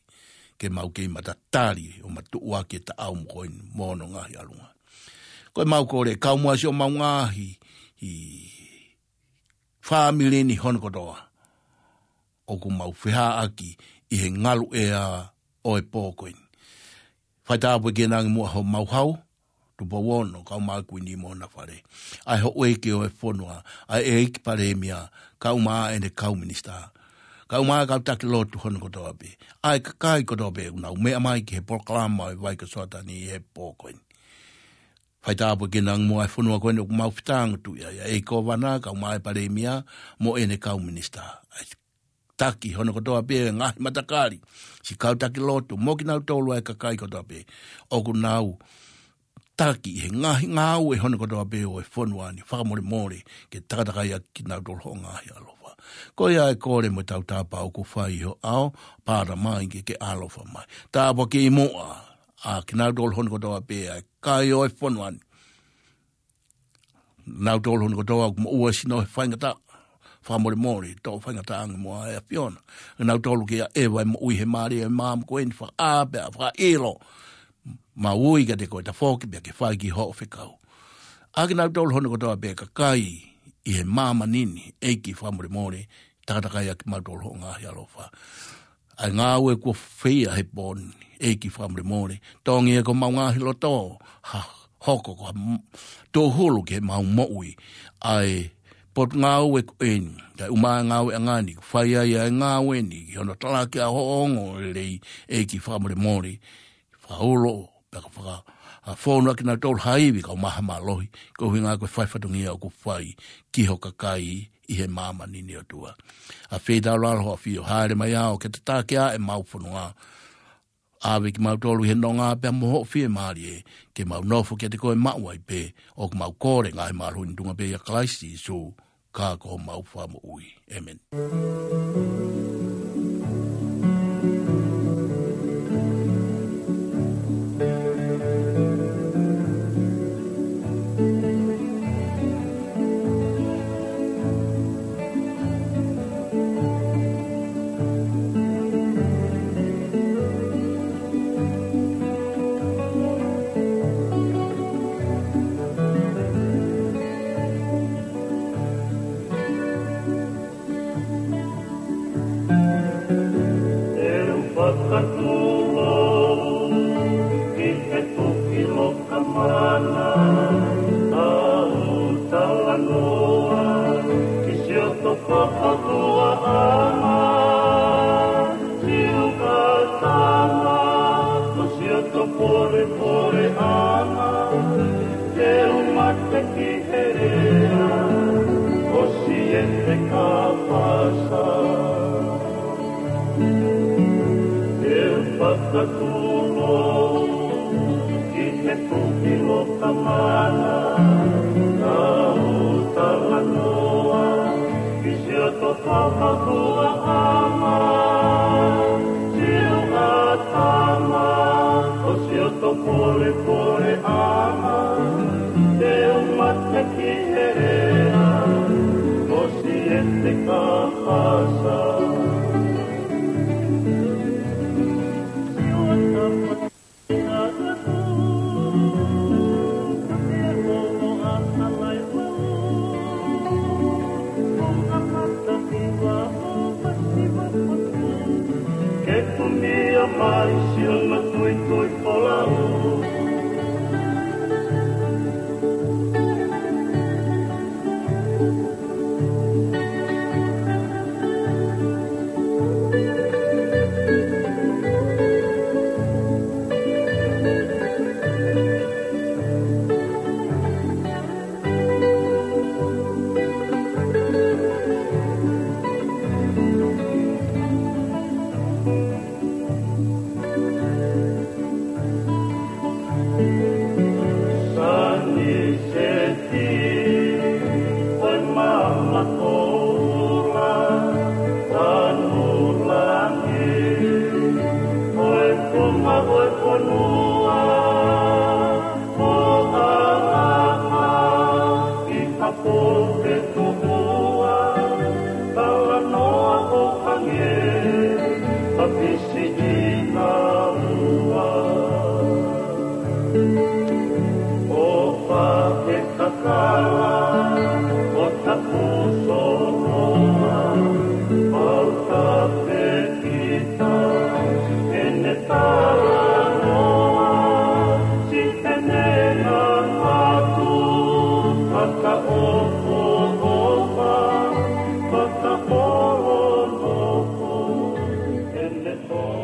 ke mau kei matatali ʻo matuʻuaki e taʻau mo ko eni mo hono ngaahi ʻalunga. Ko ʻemau kole, kau muʻa siʻomau ngaahi fāmili ni hono kotoa ʻoku mau fehaʻaki ʻi he ngaluʻea ʻo e pō ko eni. Fai tāpuekina ange muʻa homau hau, Tupou Ono, kae ʻumaʻā e Kuini mo hona fale. ʻA e houʻeiki ʻo e fonua, ʻa e ʻEiki Palēmia, kae ʻumaʻā ʻene kau minisitā, kae ʻumaʻā e kau taki lotu hono kotoa pē. ʻA e kakai kotoa pē ʻoku nau meʻa mai ki he polokalama ʻo e Vai ko Soatani he pō ko eni. Fai tāpuekina ange muʻa e fonua ko eni ʻoku mau fetāngatui ai, ʻa e ʻEiki Kōvana, kae ʻumaʻā e Palēmia mo ʻene kau minisitā. ʻA e taki hono kotoa pē, ngaahi matakali, siʻi kau taki lotu, mo kinautolu ʻa e kakai kotoa pē ʻoku nau taki ʻi he ngaahi ngāue hono kotoa pē ʻo e fonua ni, fakamolemole ke takatakai ʻaki kinautolu hoʻo ngaahi ʻaloʻofa. Ko ia e kole mo e tautapa ʻoku fai ʻi ho ʻao, pāta mai ke ke ʻaloʻofa mai. Tāpuakiʻi muʻa ʻa kinautolu hono kotoa pē ʻa e kakai ʻo e fonua ni. Nautolu hono kotoa ʻoku moʻua sino he faingataʻa, fakamolemole, toʻo faingataʻa ange muʻa ʻe ʻAfiona. Nautolu ke ʻaʻeva e moʻui he mālie ʻo e maama ko eni, fakaʻā pea fakaʻilo. Mau ui kiate koe, tafoki pea ke fai ki hoʻo fekau. ʻA kinautolu hono kotoa pē kakai ʻi he māmani ni, ʻEiki fakamolemole, takatakai ʻaki kimautolu hoʻo ngaahi ʻaloʻofa. ʻA e ngāue kuo feia he pō ni, ʻEiki fakamolemole, tongi ʻe ko homau ngaahi loto, ha hoko ko ha m-, tōhulu ke mau moʻui. ʻA e potungāue ko eni, ʻa e ʻuma e ngāueʻanga ni, fai ai ʻa e ngāue ni, ki hono talaki ʻa hoʻo ongoongolelei, ʻEiki fakamolemole, fakaulo, pea ka faka-, ʻa fonu ʻa kinautolu ha ivi kae ʻumaʻā ha mālohi, ko e ʻuhinga ko e fai fatongia ʻoku fai ki ho kakai ʻi he māmani ni ʻOtua. ʻA feitaulalo ho ʻAfio, hāʻele mai ʻo ke tataki ʻa e mau fonua. ʻAve kimautolu ʻi he nonga pea mo hoʻo fiemālie, ke mau nofo kiate koe maʻu ai pē, ʻoku mau kole ngaahi mālohi ni ʻi he tuʻunga pē ʻia Kalaisi Sīsū, ka ko homau Fakamoʻui. ʻĒmeni. ʻE u fakatūʻou ki he tuki loka mana, ʻa u talanoa ki siʻoto fakaʻutoʻanga, siʻu ʻatama, ko siʻoto polepoleʻanga, te u mate ki he lea ʻo Siete Kapasa. ʻE u fakatūʻou ki he tuki loka mana, ʻa u talanoa ki siʻoto fakaʻutoʻanga, siʻu ʻatama, ko siʻoto polepoleʻanga, te u mate ki he lea ʻo Siete Kapasa. Ke kumia mai siʻono tuitui folau. Sani seti, ʻo e maama koula, tanu langi, ʻo e konga ʻo e fonua, ʻo ʻalaha ʻi ha pō ke tuʻua, talanoa ʻo hangē ha pisi ʻi na ua. ʻO fake kakala, ʻo tapu soloa, pau tape kita, ʻene talanoa, si ʻene ngangatu, fakaʻofoʻofa, fakaʻolonofo, ʻene toa.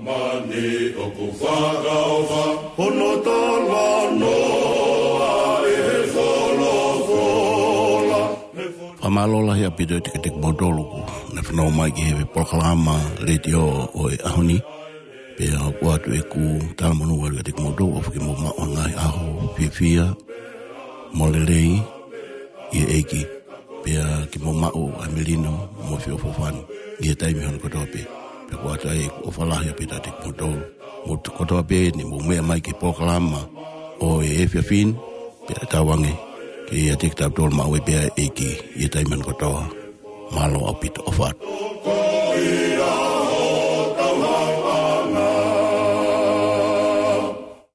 Mani ʻoku fakaʻofa, hono talanoa ʻe he folofola. Fakamālō lahi ʻaupito ʻiate kimoutolu kuo ne fanongo mai ki he polokalama letiō ʻo e ʻaho ni. Pea ʻoku ʻoatu ʻeku talamonū atu kiate kimoutolu, ʻofa ke mou maʻu ʻa e ngaahi ʻaho fiefia mo lelei ʻi he ʻEiki. Pea ke mou maʻu ʻa e melino mo e feʻofoʻofani ʻi he taimi hono kotoa pē. Pea ʻoku ʻoatu ai ʻeku ʻofa lahi ʻaupito kiate kimoutolu. Mou kotoa pē ni mou meʻa mai ki he polokalama ʻo e efiafi ni, pea tauange ke ʻiate kitautolu maʻu ai pē ʻa e ʻEiki ʻi he taimi hono kotoa. Mālō ʻaupito, ʻofa atu.